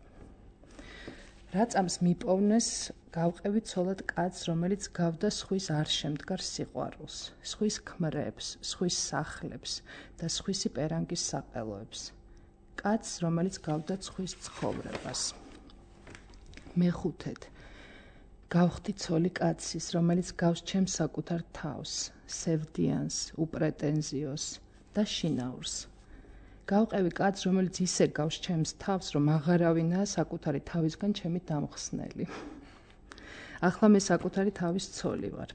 რაწამს მიპოვნეს გავყევი ცოლად კაცს, რომელიც გავდა სხვის არ შემდგარ სიყვარულს, სხვის ქმრებს, სხვის სახლებს და სხვისი პერანგის საყელოებს. კაცს, რომელიც გავდა სხვის ცხოვრებას. მეხუთედ გავხდი ცოლი კაცის, რომელიც გავს ჩემს საკუთარ თავს, სევდიანს, უპრეტენზიოს და შინაურს. გავყევი კაცს, რომელიც ისე გავს ჩემს თავს, რომ აღარავინაა საკუთარი თავისგან ჩემი დამხსნელი. ახლა მე საკუთარი თავის ცოლი ვარ.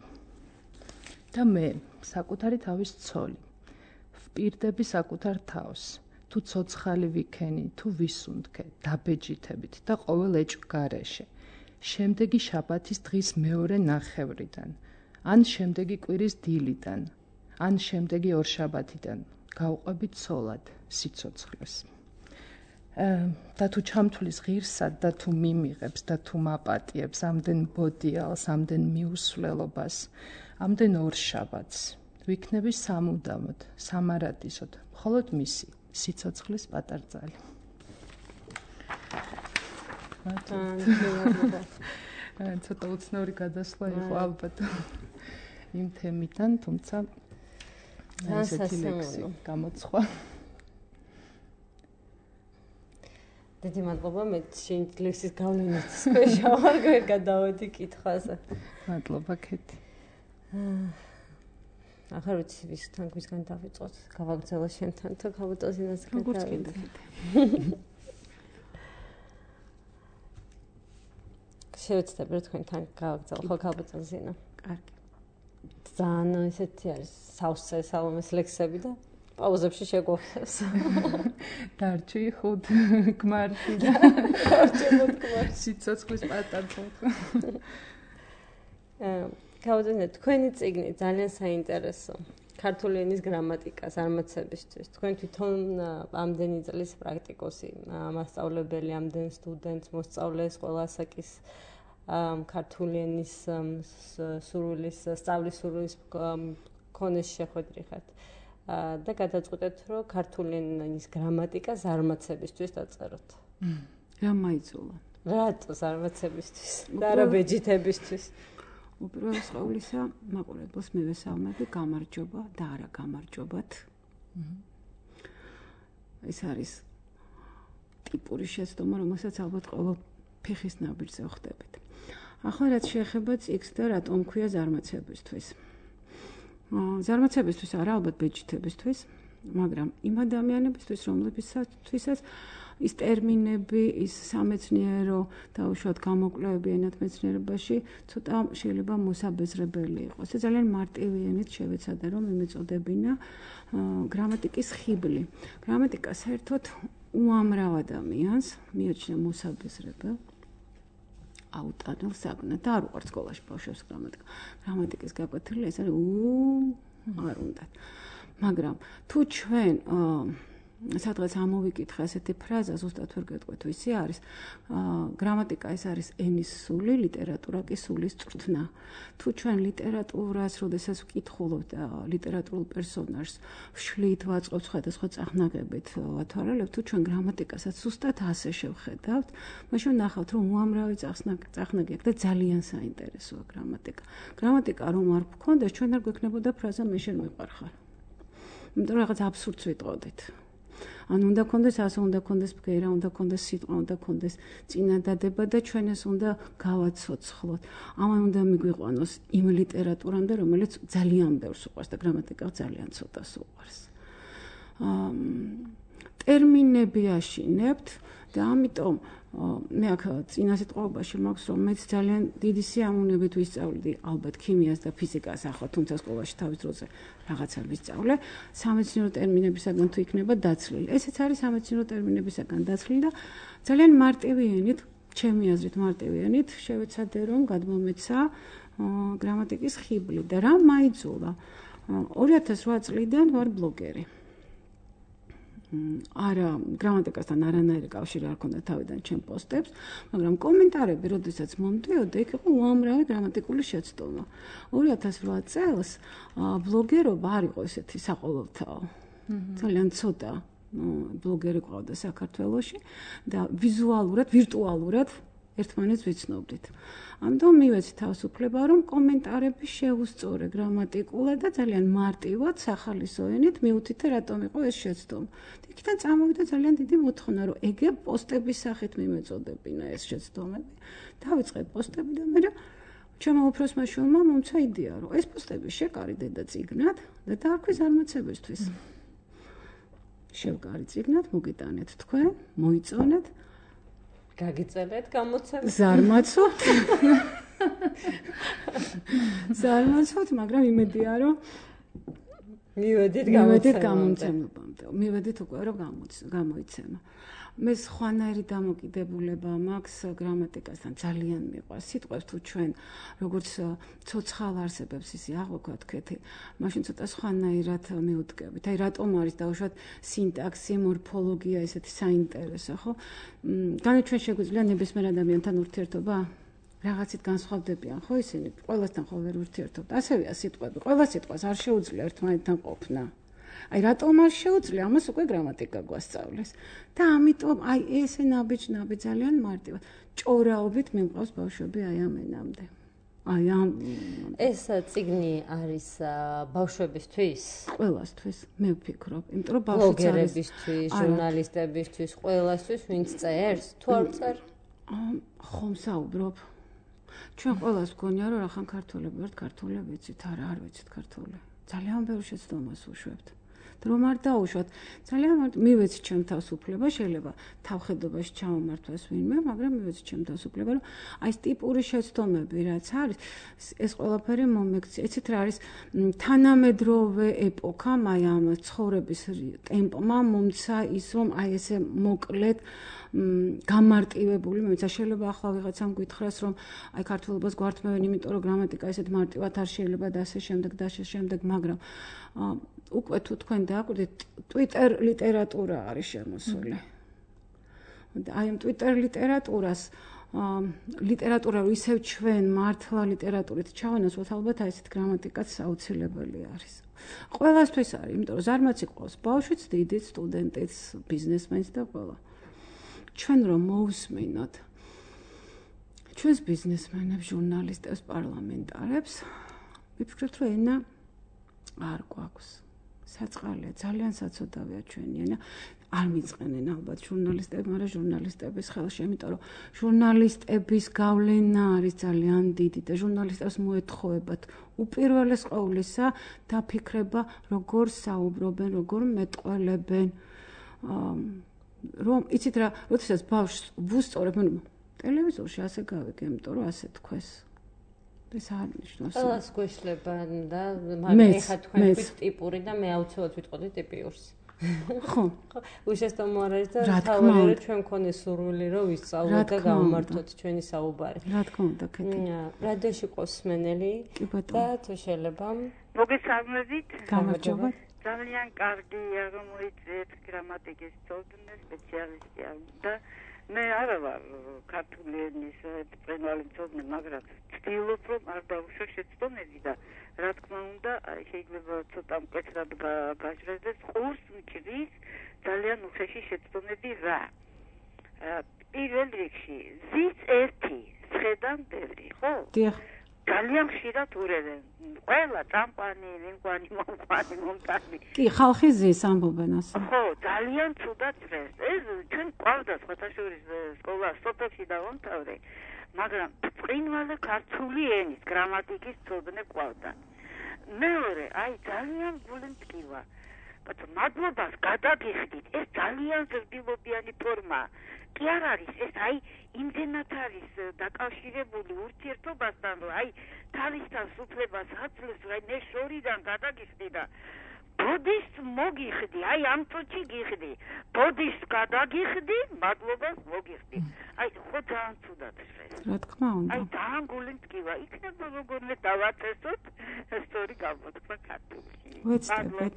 და მე საკუთარი თავის ცოლი. ვპირდები საკუთარ თავს. თუ ცოცხალი ვიქენი, თუ ვისუნთქე, დაბეჯითებით და ყოველ ეჭვ გარეშე. შემდეგი შაბათის დღის მეორე ნახევრიდან, ან შემდეგი კვირის დილიდან, ან შემდეგი ორშაბათიდან გავყვები ცოლად სიცოცხლეს. და თუ ჩამთვლის ღირსად და თუ მიმიღებს და თუ მაპატიებს ამდენ ბოდიალს, ამდენ მიუსვლელობას, ამდენ ორშაბათს, ვიქნები სამუდამოდ, სამარადისოდ, მხოლოდ მისი სიცოცხლის პატარძალი. ცოტა უცნაური გადასვლა იყო ალბათ იმ თემიდან, თუმცა ესეთი ლექსი გამოცხვა. დიდი მადლობა, მე შენ ლექსის გავლენით სპეშალ ვარ გადავედი კითხვაზე. მადლობა ქეთი. ახლა ვიცი ვისგან დავიწყოთ, გავაგრძელო შენთან თუ ქალბატონს როგორც კიდე. შევეცდები რომ თქვენთან გავაგრძელო ხო ქალბატონს ზინა. კარგი. ძალიან ესეთი არის სავსე სალომეს ლექსები და პაუზებში შეგვახსენს. დარჩი ხუთ გმარში და სიცოცხლის პატარძალ. ქალბატონო, თქვენი წიგნი ძალიან საინტერესო. ქართული ენის გრამატიკასარმაცებისთვის. თქვენ თვითონ ამდენი წლის პრაქტიკოსი, მასწავლებელი, ამდენ სტუდენტს მოსწავლეს ყველა ასაკის ქართული ენის სურვილის, სწავლის სურვილის მქონეს შეხვედრიხართ. და გადაწყვეტეთ, რომ ქართული ენის გრამატიკასარმაცებისთვის დაწეროთ. რა მაიძულა? რატო წარმაცებისთვის და რა ბეჯითებისთვის? უპირველეს ყოვლისა, მაყურებელს მივესალმები, გამარჯობა და არა გამარჯობათ. ეს არის ტიპური შეცდომა, რომელსაც ალბათ ყოველ ფეხის ნაბიჯზე ვხდებით. ახლა რაც შეეხება წიგნს და რატომ ქვია ზარმაცებისთვის. ზარმაცებისთვის არა, ალბათ ბეჯითებისთვის, მაგრამ იმ ადამიანებისთვის, რომლებისთვისაც ის ტერმინები, ის სამეცნიერო და უშუალოდ გამოკვლევები ენათმეცნიერებაში ცოტა შეიძლება მოსაბეზრებელი იყოს. ეს ძალიან მარტივი ენით შევეცადე, რომ იმეწოდებინა გრამატიკის ხიბლი. გრამატიკა საერთოდ უამრავ ადამიანს მიაჩნია მოსაბეზრებელ აუტანელ საგნად და არ უყართ სკოლაში ბავშვებს გრამატიკა. გრამატიკის გაკვეთილი ეს არის არ უნდათ. მაგრამ თუ ჩვენ სადღაც ამოვიკითხა ესეთი ფრაზა, ზუსტად ვერ გეტყვით ვისი არის, გრამატიკა ეს არის ენის სული, ლიტერატურა კი სულის წვრთნა. თუ ჩვენ ლიტერატურას, როდესაც ვკითხულობთ ლიტერატურულ პერსონაჟს, ვშლით, ვაწყობთ სხვადასხვა წახნაგებით, ვათვალებთ, თუ ჩვენ გრამატიკასაც ზუსტად ასე შევხედავთ, მაშინ ნახავთ, რომ უამრავი წახნაგი აქვს და ძალიან საინტერესოა გრამატიკა. გრამატიკა რომ არ გქონდეს, ჩვენ არ გვექნებოდა ფრაზა მე შენ მიყვარხარ. იმიტომ რაღაც აბსურდს ვიტყოდით. ანუ უნდა კონდეს ასე, უნდა კონდეს ბგერა, უნდა კონდეს სიტყვა, უნდა კონდეს წინადადება და ჩვენ ეს უნდა გავაცოცხლოთ. ამან უნდა მიგვიყვანოს იმ ლიტერატურამდე, რომელიც ძალიან ბევრს უყვარს და გრამატიკა ძალიან ცოტას უყვარს. ტერმინები აშინებთ და ამიტომ მე აქ წინა სიტყვაობაში მაქვს რომ მეც ძალიან დიდი სიამოვნებით ვისწავლდი ალბათ ქიმიას და ფიზიკას ახლა თუმცა სკოლაში თავის დროზე რაღაცა ვისწავლე სამეცნიერო ტერმინებისაგან თუ იქნება დაცლილი. ესეც არის სამეცნიერო ტერმინებისაგან დაცლილი და ძალიან მარტივი ენით, ჩემი აზრით მარტივი ენით შევეცადე რომ გადმომეცა გრამატიკის ხიბლი და რა მაიძულა. 2008 წლიდან ვარ ბლოგერი. არა გრამატიკასთან არანაირი კავშირი არ ქონდა თავიდან ჩემ პოსტებს, მაგრამ კომენტარები, როდესაც მომდიოდა, იქ იყო უამრავი გრამატიკული შეცდომა. 2008 წელს ბლოგერობა არ იყო ესეთი საყოველთაო. ძალიან ცოტა ბლოგერი ყავდა საქართველოში და ვიზუალურად, ვირტუალურად ერთმანეთს ვიცნობდით. ამიტომ მივეცი თავისუფლება, რომ კომენტარები შეუსწორე გრამატიკულად და ძალიან მარტივად სახალისო ენით მიუთითე რატომ იყო ეს შეცდომა. იქიდან წამოვიდა ძალიან დიდი მოთხოვნა, რომ ეგე პოსტების სახით მიმეწოდებინა ეს შეცდომები. დავიწყე პოსტები და მე ჩემო უფროსმა შვილმა მომცა იდეა, რომ ეს პოსტები შეკარიდე და წიგნად და დაარქვი ზარმაცებისთვის. შევკარი წიგნად, მოგიტანეთ თქვენ, მოიწონეთ გაგიწელეთ გამოცემა. ზარმაცობთ. ზარმაცობთ, მაგრამ იმედია რომ მივედით გამოცემებამდე. მივედით უკვე რომ გამოიცემა. მე სხვანაირი დამოკიდებულება მაქვს გრამატიკასთან ძალიან მიყვარს. სიტყვებს თუ ჩვენ როგორც ცოცხალ არსებებს ისე აღვქვათ, მაშინ ცოტა სხვანაირად მივუტკებით. აი რატომ არის დაუშვათ სინტაქსი, მორფოლოგია ესეთი საინტერესო, ხო? განაჩვენ შეგვიძლია ნებისმიერ ადამიანთან ურთიერთობა? რაღაცით განსხვავდებიან, ხო ისინი? ყველასთან ხო ვერ ურთიერთობთ. ასევეა სიტყვები. ყველა სიტყვას არ შეუძლია ერთმანეთთან ყოფნა. აი რატომ არ შეუძლია? ამას უკვე გრამატიკა გვასწავლეს. და ამიტომ აი ესე ნაბიჯ ძალიან მარტივად. ჭორაობით მიმყავს ბავშვები აი ამ ენამდე. აი ამ ეს წიგნი არის ბავშვებისთვის? ყველასთვის, მე ვფიქრობ. იმიტომ რომ ბავშვიც არის ბლოგერებისთვის, ჟურნალისტებისთვის, ყველასთვის, ვინც წერს, თუ არ წერ? ხომ საუბრობ. ჩვენ ყველას გქონია რომ რახან ქართველები ვართ, ქართველები ვიცით, არ ვიცით ქართული. ძალიან ბევრ შეცდომას უშვებთ. რომ არ დაუშვათ. ძალიან მივეცი ჩემ თავს უფლება, შეიძლება თავხედობაში ჩამომართვას ვინმე, მაგრამ მივეცი ჩემ თავს უფლება, რომ აი ეს ტიპური შეცდომები რაც არის, ეს ყველაფერი მომექცია. იცით რა არის თანამედროვე ეპოქამ, აი ამ ცხოვრების ტემპმა მომცა ის, რომ აი ესე მოკლედ გამარტივებული, მეცა შეიძლება ახლა ვიღაცამ გითხრას, რომ აი ქართულობას გვართმევენ, იმიტომ რომ გრამატიკა ესეთ მარტივად არ შეიძლება და ასე შემდეგ და ასე შემდეგ, მაგრამ უკვე თუ თქვენ დააკვირდით, Twitter ლიტერატურა არის შემოსული. აი ამ Twitter ლიტერატურას ლიტერატურა რო ისევ ჩვენ მართლა ლიტერატურით ჩავანაცვლოთ, ალბათ აი ესეთ გრამატიკაც აუცილებელი არის. ყველასთვის არის, იმიტომ რომ ზარმაცი ყავს ბავშვიც, დიდიც, სტუდენტიც, ბიზნესმენიც და ყველა. ჩვენ რომ მოусმინოთ ჩვენს ბიზნესმენებს, ჟურნალისტებს, პარლამენტარებს ვიფიქრებთ, რომ ენა არ გვაქვს. საწყალია, ძალიან საცოდავია ჩვენი ენა. არ მიწყენენ ალბათ ჟურნალისტები, მაგრამ ჟურნალისტების ხელში, იმიტომ რომ ჟურნალისტების გავლენა არის ძალიან დიდი და ჟურნალისტებს მოეთხოვებათ უპირველეს ყოვლისა დაფიქრება, როგორ საუბრობენ, როგორ მეტყველებენ. რომ იცით რა, როდესაც ბავშვს ვუსწორებ, ტელევიზორში ასე გავიგე, იმიტომ რომ ასე თქვეს. ეს არ ნიშნავს. ყველას გვეშლება და მაგრამ ეხა თქვენ თქვით ტიპური და მე აუცილებლად ვიტყოდი ტიპიურს. ხო. უშესტომ არ არის და თავი ჩვენ მქონე სურვილი რომ ვისწავლოთ და გავმართოთ ჩვენი საუბარი. რა თქმა უნდა, კეთილი. რადიოში ყავს სმენელი და თუ შეიძლება მოგესალმებით. გამარჯობა. ძალიან კარგია რომ მოიწვიეთ გრამატიკის ცოდნა სპეციალისტი და მე არა ვარ ქართული ენის ბრწყინვალე მცოდნე, მაგრამ ვცდილობ რომ არ დავუშვო შეცდომები და რა თქმა უნდა, შეიძლება ცოტა მკვეთრად გაჟღერდეს, ყურს მჭრის ძალიან უხეში შეცდომები რა. პირველ რიგში ზის ერთი, სხედან ბევრი, ხო? დიახ. ძალიან ხშირად ურევენ. ყველა წამყვანი, ვინკვანი, მომყვანი, მომტანი. კი, ხალხი ზის ამბობენ ასე. ხო, ძალიან ცუდად ჭრეს. ეს ჩვენ ყავდა სხვათაშორის სკოლა სოფელში დავამთავრე, მაგრამ ბრწყინვალე ქართული ენის გრამატიკის ცოდნე ყავდა. მეორე, აი ძალიან გული მტკივა. ბატონო, მადლობას გადაგიხდით. ეს ძალიან ზრდილობიანი ფორმაა. კი არ არის ეს აი იმდენად არის დაკავშირებული ურთიერთობასთან, რომ აი თავისთან სუფლებას აძლევს, აი მე შორიდან გადაგიხდი და ბოდის მოგიხდი, აი ამ წუთში გიხდი, ბოდის გადაგიხდი, მადლობას მოგიხდი. აი ხო ძალიან ცუდად ხეს. რა თქმა უნდა. აი ძალიან გული მტკივა, იქნება როგორმე დავაწესოთ, სწორი გამოთქვა ქართულში. ვეცდებით.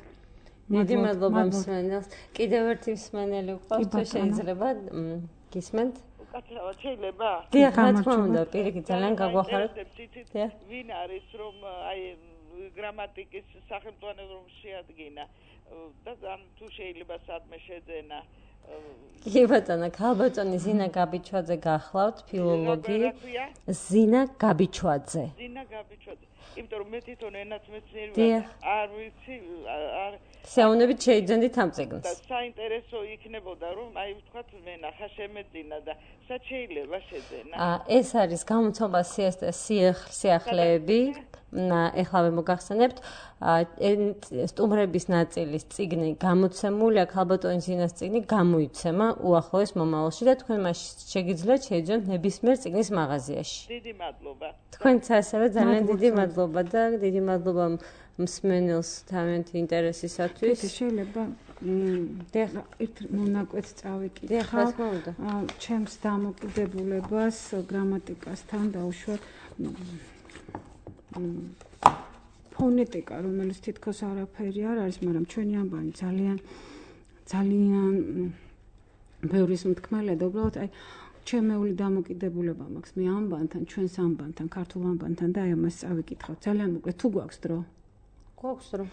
დიდი მადლობა მსმენელს. კიდევ ერთი მსმენელი გვყავს, თუ შეიძლება გისმენთ? უკაცრავად შეიძლება? დიახ, რა თქმა უნდა, პირიქით ძალიან გაგვახარეთ. დიახ. ვინ არის რომ აი გრამატიკის სახელმწიფო რომ შეადგინა და ამ თუ შეიძლება სადმე შეძენა. კი ბატონო, ქალბატონი ზინა გაბიჩვაძე გახლავთ, ფილოლოგი. ზინა გაბიჩვაძე. ზინა გაბიჩვაძე. იმიტომ რომ მე თვითონ ენაც მეცნიერი არ ვიცი, არ საუნებით შეიძენდით ამ წიგნს. და საინტერესო იქნებოდა რომ აი ვთქვათ მე ნახა შემეძინა და სად შეიძლება შეძენა. ეს არის გამოცემა სიახლეები. ეხლა მოგახსენებთ, სტუმრების ნაწილის წიგნი გამოცემულია, ქალბატონის ზინას წიგნი გამოიცემა უახლოეს მომავალში და თქვენ მას შეგიძლიათ შეიძინოთ ნებისმიერ წიგნის მაღაზიაში. დიდი მადლობა. თქვენც ასევე ძალიან დიდი მადლობა და დიდი მადლობა მსმენელს თავიანთი ინტერესისათვის. შეიძლება ერთ მონაკვეთს წავიკითხავ. დიახ, რა თქმა უნდა. ჩემს დამოკიდებულებას გრამატიკასთან დავუშვათ ფონეტიკა, რომელიც თითქოს არაფერი არ არის, მაგრამ ჩვენი ამბანი ძალიან ბევრის მთქმელია და უბრალოდ აი ჩემეული დამოკიდებულება მაქვს მე ამბანთან, ჩვენს ამბანთან, ქართულ ამბანთან და აი ამას წავიკითხავ. ძალიან მოკლედ, თუ გვაქვს დრო? გვაქვს დრო.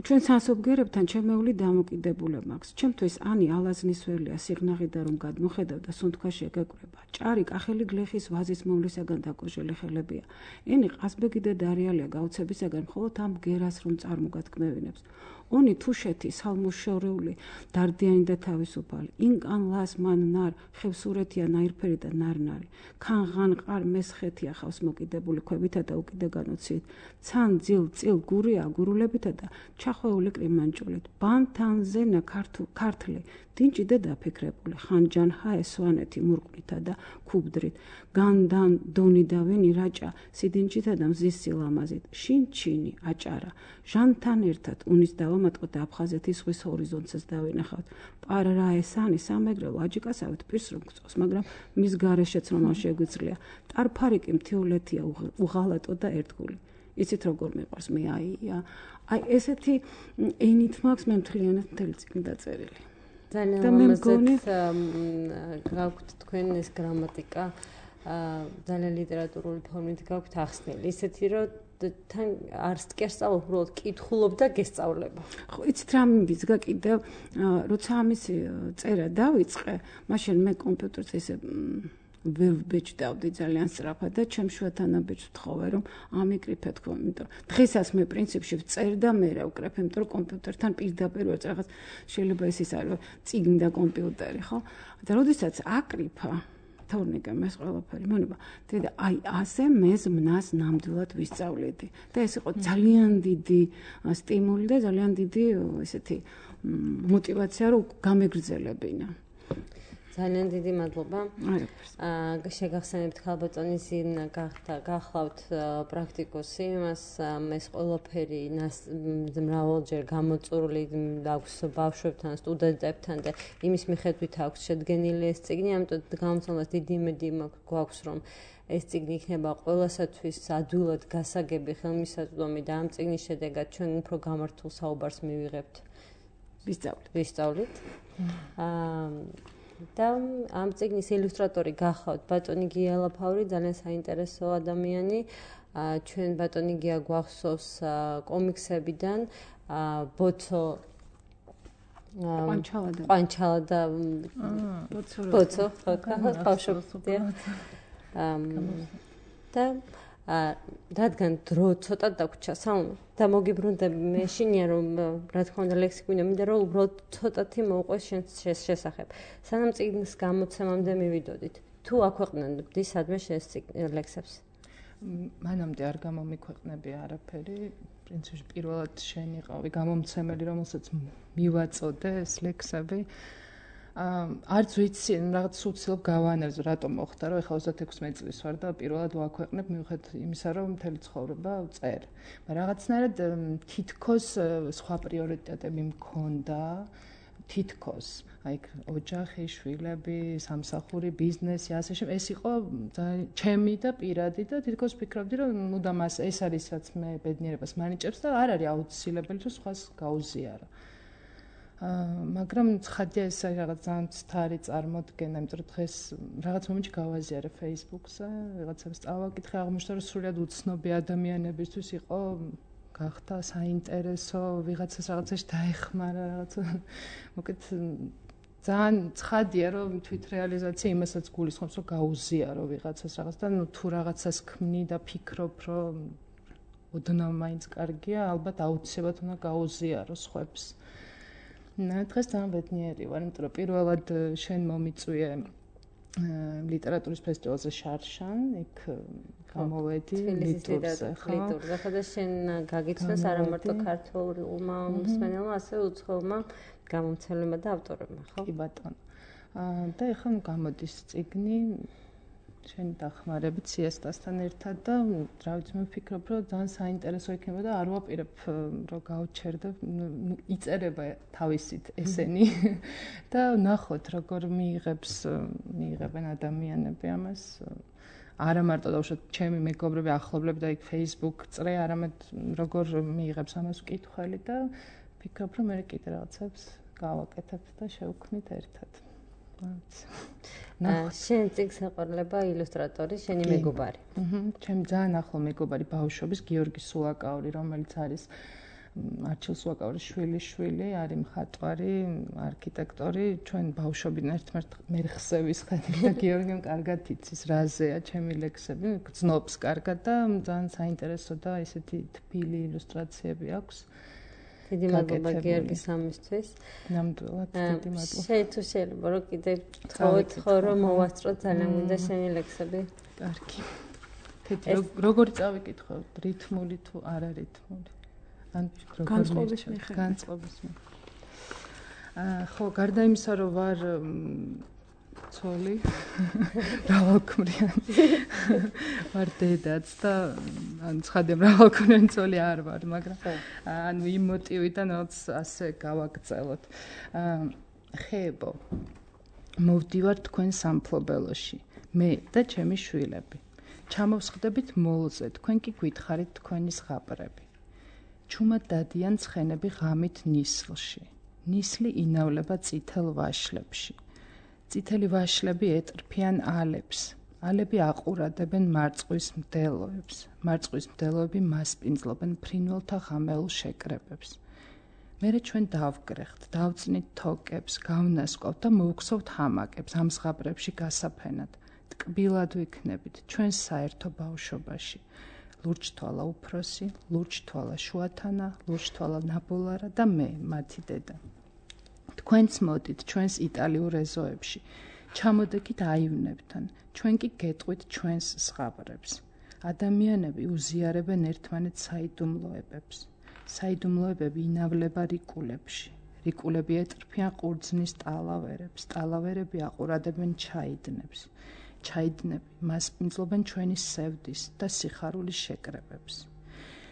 ჩვენ სასოფგერებთან ჩემეული დამოკიდებულება მაქვს. ჩემთვის ანი ალაზნისველია სიღნაღიდა რომ გადმოხედავ და სუნთქვაში ეგეკვრება. ჭარი კახელი გლეხის ვაზის მოვლისაგან დაკოჟელი ხელებია. ენი ყაზბეგი და დარიალია გაუცებისაგან მხოლოდ ამ ბგერას რომ წარმოგათქმევინებს. ონი თუშეთი სალმუშორეული დარდიანი და თავისუფალი. ინკან ლას მან ნარ ხევსურეთია ნაირფერი და ნარნარი. ქანღან ყარ მესხეთია ხავს მოკიდებული ქვებითა და უკიდე განოცით. ცან ძილ წილ გურია გურულებითა და ჩახვეული კრიმანჭულით. ბანთანზენა ქართლი დინჭი და დაფიქრებული. ხანჯან ჰაე სვანეთი მურყნითა და ქუბდრით. განდან დონი და ვენი რაჭა სიდინჭითა და მზის სილამაზით. შინჩინი აჭარა. ჟანთან ერთად უნის დავამატყოთ აფხაზეთის ზღვის ჰორიზონტსაც დავინახავთ. პარაესანი სამეგრელო აჯიკასავით პირს რომ გწევს, მაგრამ მის გარეშეც რომ არ შეგვიძლია. ტარფარიკი მთიულეთია უღალატო და ერთგული. იცით როგორ მეყვარს მე აი ესეთი ენით მაქვს მე მთლიანად მთელი წიგნი დაწერილი. ძალიან ლამაზად გაქვთ თქვენ ეს გრამატიკა, ძალიან ლიტერატურული ფორმით გაქვთ ახსნილი. ისეთი რომ თან არ სკერსწავლობ, უბრალოდ კითხულობ და გესწავლება. ხო, იცით რა მივიძგა კიდევ, როცა ამის წერა დავიწყე, მაშინ მე კომპიუტერზე ესე ვერ ვბეჭდავდი ძალიან სწრაფად და ჩემ შუათანაბეჭს ვთხოვე რომ ამიკრიფე თქო, იმიტომ დღესაც მე პრინციპში ვწერ და მე რა ვკრებ, იმიტომ რომ კომპიუტერთან პირდაპირ ვარ, რაღაც შეიძლება ის არის წიგნი და კომპიუტერი, ხო? და როდესაც აკრიფა თორნიკა მას ყველაფერი მონება. და აი ასე მე ზმნას ნამდვილად ვისწავლიდი. და ეს იყო ძალიან დიდი სტიმული და ძალიან დიდი ესეთი мотивация რომ გამეგრძელებინა. ძალიან დიდი მადლობა. შეგახსენებთ ქალბატონი ზინა გახლავთ პრაქტიკოსი, მას ეს ყველაფერი მრავალჯერ გამოწურული აქვს ბავშვებთან, სტუდენტებთან და იმის მიხედვით აქვს შედგენილი ეს წიგნი, ამიტომ გამომცემლად დიდი იმედი გვაქვს, რომ ეს წიგნი იქნება ყველასათვის ადვილად გასაგები, ხელმისაწვდომი და ამ წიგნის შედეგად ჩვენ უფრო გამართულ საუბარს მივიღებთ. ვისწავლით. და ამ წიგნის ილუსტრატორი გახავთ ბატონი გია ლაფავრი, ძალიან საინტერესო ადამიანი. ჩვენ ბატონი გია გვახსოვს კომიქსებიდან, ბოცო ყვანჩალა და ბოცო, ბავშვობიდან. და რადგან დრო ცოტა დაგვრჩა და მოგიბრუნდები მე შინია რომ რა თქმა უნდა ლექსიკონი მინდა რომ უბრალოდ ცოტათი მოუყვეს შენ შესახებ. სანამ წიგნის გამოცემამდე მივიდოდით. თუ აქვეყნებდი სადმე შენ ლექსებს? მანამდე არ გამომიქვეყნები არაფერი. პრინციპში პირველად შენ იყავი გამომცემელი, რომელსაც მივაწოდე ეს ლექსები. არც ვიცი, რაღაც უცილობ გავანერზე, რატომ მოხდა, რომ ეხლა 36 წლის ვარ და პირველად ვაქვეყნებ მიუხედავად იმისა, რომ მთელი ცხოვრება ვწერ. მაგრამ რაღაცნაირად თითქოს სხვა პრიორიტეტები მქონდა, თითქოს, აი ოჯახი, შვილები, სამსახური, ბიზნესი, ასე შემდეგ. ეს იყო ჩემი და პირადი და თითქოს ვფიქრობდი, რომ მუდამ ეს არის რაც მე ბედნიერებას მანიჭებს და არ არის აუცილებელი, რომ სხვას გაუზიარო. მაგრამ ცხადია ეს რაღაც ძალიან ცთარი წარმოდგენა, იმიტომ რომ დღეს რაღაც მომენტში გავაზიარე Facebook-ზე, რაღაცებს წავაკითხე, აღმოჩნდა რომ სრულად უცნობი ადამიანებისთვის იყო გახდა საინტერესო, ვიღაცას რაღაცაში დაეხმარა, რაღაცა მოკეთ ძალიან ცხადია რომ თვითრეალიზაცია იმასაც გულისხმობს, რომ გაუზიარო ვიღაცას რაღაც და თუ რაღაცას ქმნი და ფიქრობ, რომ ოდნავ მაინც კარგია, ალბათ აუცილებლად უნდა გაუზიარო სხვებს. დღეს ძალიან ბედნიერი ვარ, იმიტომ რომ პირველად შენ მომიწვიე ლიტერატურის ფესტივალზე შარშან, იქ გამოვედი ლიტურზე, ხო? ლიტურზე, ხოდა შენ გაგიცნოს არა მარტო ქართულმა მსმენელმა, ასევე უცხოელმა გამომცემლებმა და ავტორებმა, ხო? კი ბატონო. და ეხლა გამოდის წიგნი შენი დახმარებით სიესტასთან ერთად და რა ვიცი მე ვფიქრობ რომ ძალიან საინტერესო იქნება და არ ვაპირებ რომ გავჩერდე იწერება თავისით ესენი და ნახოთ როგორ მიიღებენ ადამიანები ამას არა მარტო დავუშვათ ჩემი მეგობრები ახლობლები და იქ Facebook წრე არამედ როგორ მიიღებს ამას ვკითხველი და ვფიქრობ რომ მე კიდე რაღაცებს გავაკეთებ და შევქმნით ერთად შენ წიგნს ეყოლება ილუსტრატორი, შენი მეგობარი. ჩემი ძალიან ახლო მეგობარი ბავშვობის გიორგი სულაკაური, რომელიც არის არჩილ სულაკაურის შვილი, არის მხატვარი, არქიტექტორი, ჩვენ ბავშვობიდან ერთ-ერთ მერხზე ვისხდით და გიორგიმ კარგად იცის რაზეა ჩემი ლექსები, გძნობს კარგად და ძალიან საინტერესო და ესეთი თბილი ილუსტრაციები აქვს. დიდი მადლობა გიორგის ამისთვის. ნამდვილად დიდი მადლობა. შეიძლება შეიძლება რომ კიდე თხოვო რომ მოვასწროთ ძალიან მინდა შენი ლექსები. კარგი. როგორი წავიკითხო, რითმული თუ არა რითმული? ან განწყობის მიხედვით. განწყობის მიხედვით. ხო, გარდა იმისა რომ ვარ ცოლი, მრავალქმრიანი. ვარ დედაც და ან ცხადია მრავალქმრიანი ცოლი არ ვარ, მაგრამ ანუ იმ მოტივიდან რაც ასე გავაგრძელოთ. ხეებო. მოვდივარ თქვენ სამფლობელოში, მე და ჩემი შვილები. ჩამოვსხდებით მოლზე, თქვენ კი გითხარით თქვენი ზღაპრები. ჩუმად დადიან ცხენები ღამით ნისლში. ნისლი ინავლება წითელ ვაშლებში. წითელი ვაშლები ეტრფიან ალებს. ალები აყურადებენ მარწყვის მდელოებს. მარწყვის მდელოები მასპინძლობენ ფრინველთა ღამეულ შეკრებებს. მერე ჩვენ დავგრეხთ, დავწნით თოკებს, გავნასკოვთ და მოვგსოვთ ჰამაკებს ამ ზღაპრებში გასაფენად. ტკბილად ვიქნებით ჩვენს საერთო ბავშვობაში. ლურჯთვალა უფროსი, ლურჯთვალა შუათანა, ლურჯთვალა ნაბოლარა და მე, მათი დედა. თქვენც მოდით ჩვენს იტალიურ ეზოებში. ჩამოდექით აივნებთან, ჩვენ კი გეტყვით ჩვენს ზღაპრებს. ადამიანები უზიარებენ ერთმანეთს საიდუმლოებებს. საიდუმლოებები ინავლება რიკულებში. რიკულები ეტრფიან ყურძნის ტალავერებს, ტალავერები აყურადებენ ჩაიდნებს. ჩაიდნები მასპინძლობენ ჩვენი სევდის და სიხარულის შეკრებებს.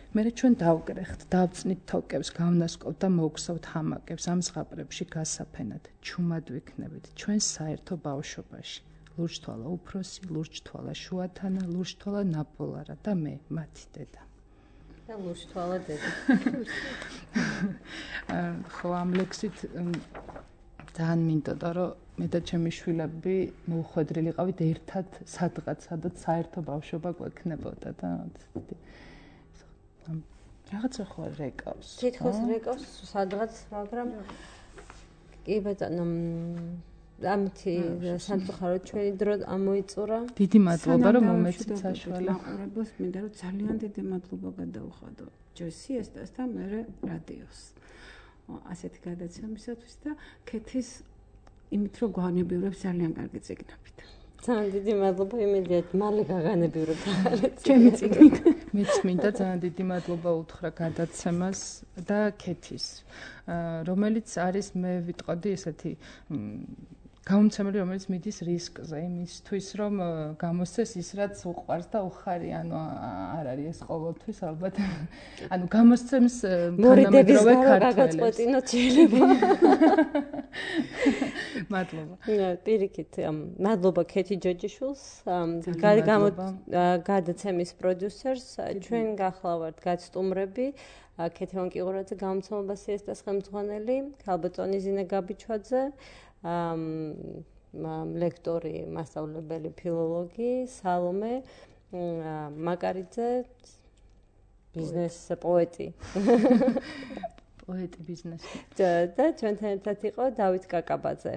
მერე ჩვენ დავკრეხთ, დავწნით თოკებს, გავნასკოვთ და მოვგსავთ ჰამაკებს ამ ზღაპრებში გასაფენად. ჩუმად ვიქნებით ჩვენს საერთო ბავშვობაში. ლურჯთვალა უფროსი, ლურჯთვალა შუათანა, ლურჯთვალა ნაპოლარა და მე, მათი დედა. და ლურჯთვალა დედა. ხო, ამ ლექსით ძალიან მინდოდა, რომ მე და ჩემი შვილები მოუხვედრილი ყავით ერთად სადღაც, სადაც საერთო ბავშვობა გვექნებოდა და რაღაცა ხო რეკავს. თითქოს რეკავს სადღაც, მაგრამ კი ბატონო, ამითი სამწუხაროდ ჩვენი დრო ამოიწურა. დიდი მადლობა რომ მომეცით საშუალება. მაყურებელს მინდა რომ ძალიან დიდი მადლობა გადაუხადო ჯერ სიესტას და მერე რადიოს. ასეთი გადაცემისათვის და ქეთის იმით რომ გვანებიურებს ძალიან კარგი წიგნებით. ძალიან დიდი მადლობა იმედია მალე გაგანებიურებთ ჩემი წიგნით. მეც მინდა ძალიან დიდი მადლობა უთხრა გადაცემას და ქეთის, რომელიც არის მე ვიტყოდი ესეთი გამომცემელი, რომელიც მიდის რისკზე, იმისთვის რომ გამოსცეს ის რაც უყვარს და უხარი, ანუ არ არის ეს ყოველთვის ალბათ. ანუ გამოსცემს თანამედროვე ქართველებს. მადლობა. პირიქით, მადლობა ქეთი ჯოჯიშვილს, გადაცემის პროდიუსერს, ჩვენ გახლავართ გაცტუმრები, ქეთი ვანკიღურაძე, გამომცემლობა სიესტას ხელმძღვანელი, ქალბატონი ზინა გაბიჩვაძე, ლექტორი, მასწავლებელი ფილოლოგი, სალომე მაკარიძე, ბიზნეს პოეტი. პოეტი ბიზნესი. და ჩვენთან ერთად იყო დავით კაკაბაძე,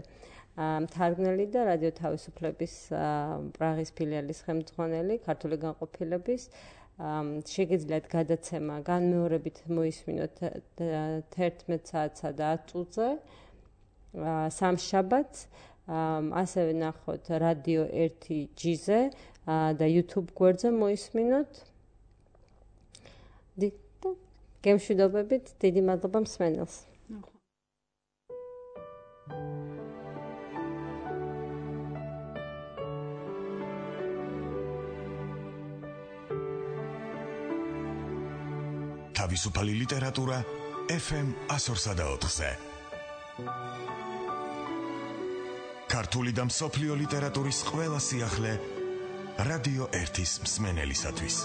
მთარგმნელი და რადიო თავისუფლების პრაღის ფილიალის ხელმძღვანელი, ქართული განყოფილების. შეგიძლიათ გადაცემა განმეორებით მოისმინოთ 11 საათსა და 10 წუთზე. სამშაბათს ასევე ნახოთ რადიო 1G-ზე და YouTube გვერდზე მოისმინოთ. გემშვიდობებით, დიდი მადლობა მსმენელს. თავისუფალი ლიტერატურა FM 104.4-ზე. ქართული და მსოფლიო ლიტერატურის ყველა სიახლე რადიო 1-ის მსმენელისათვის.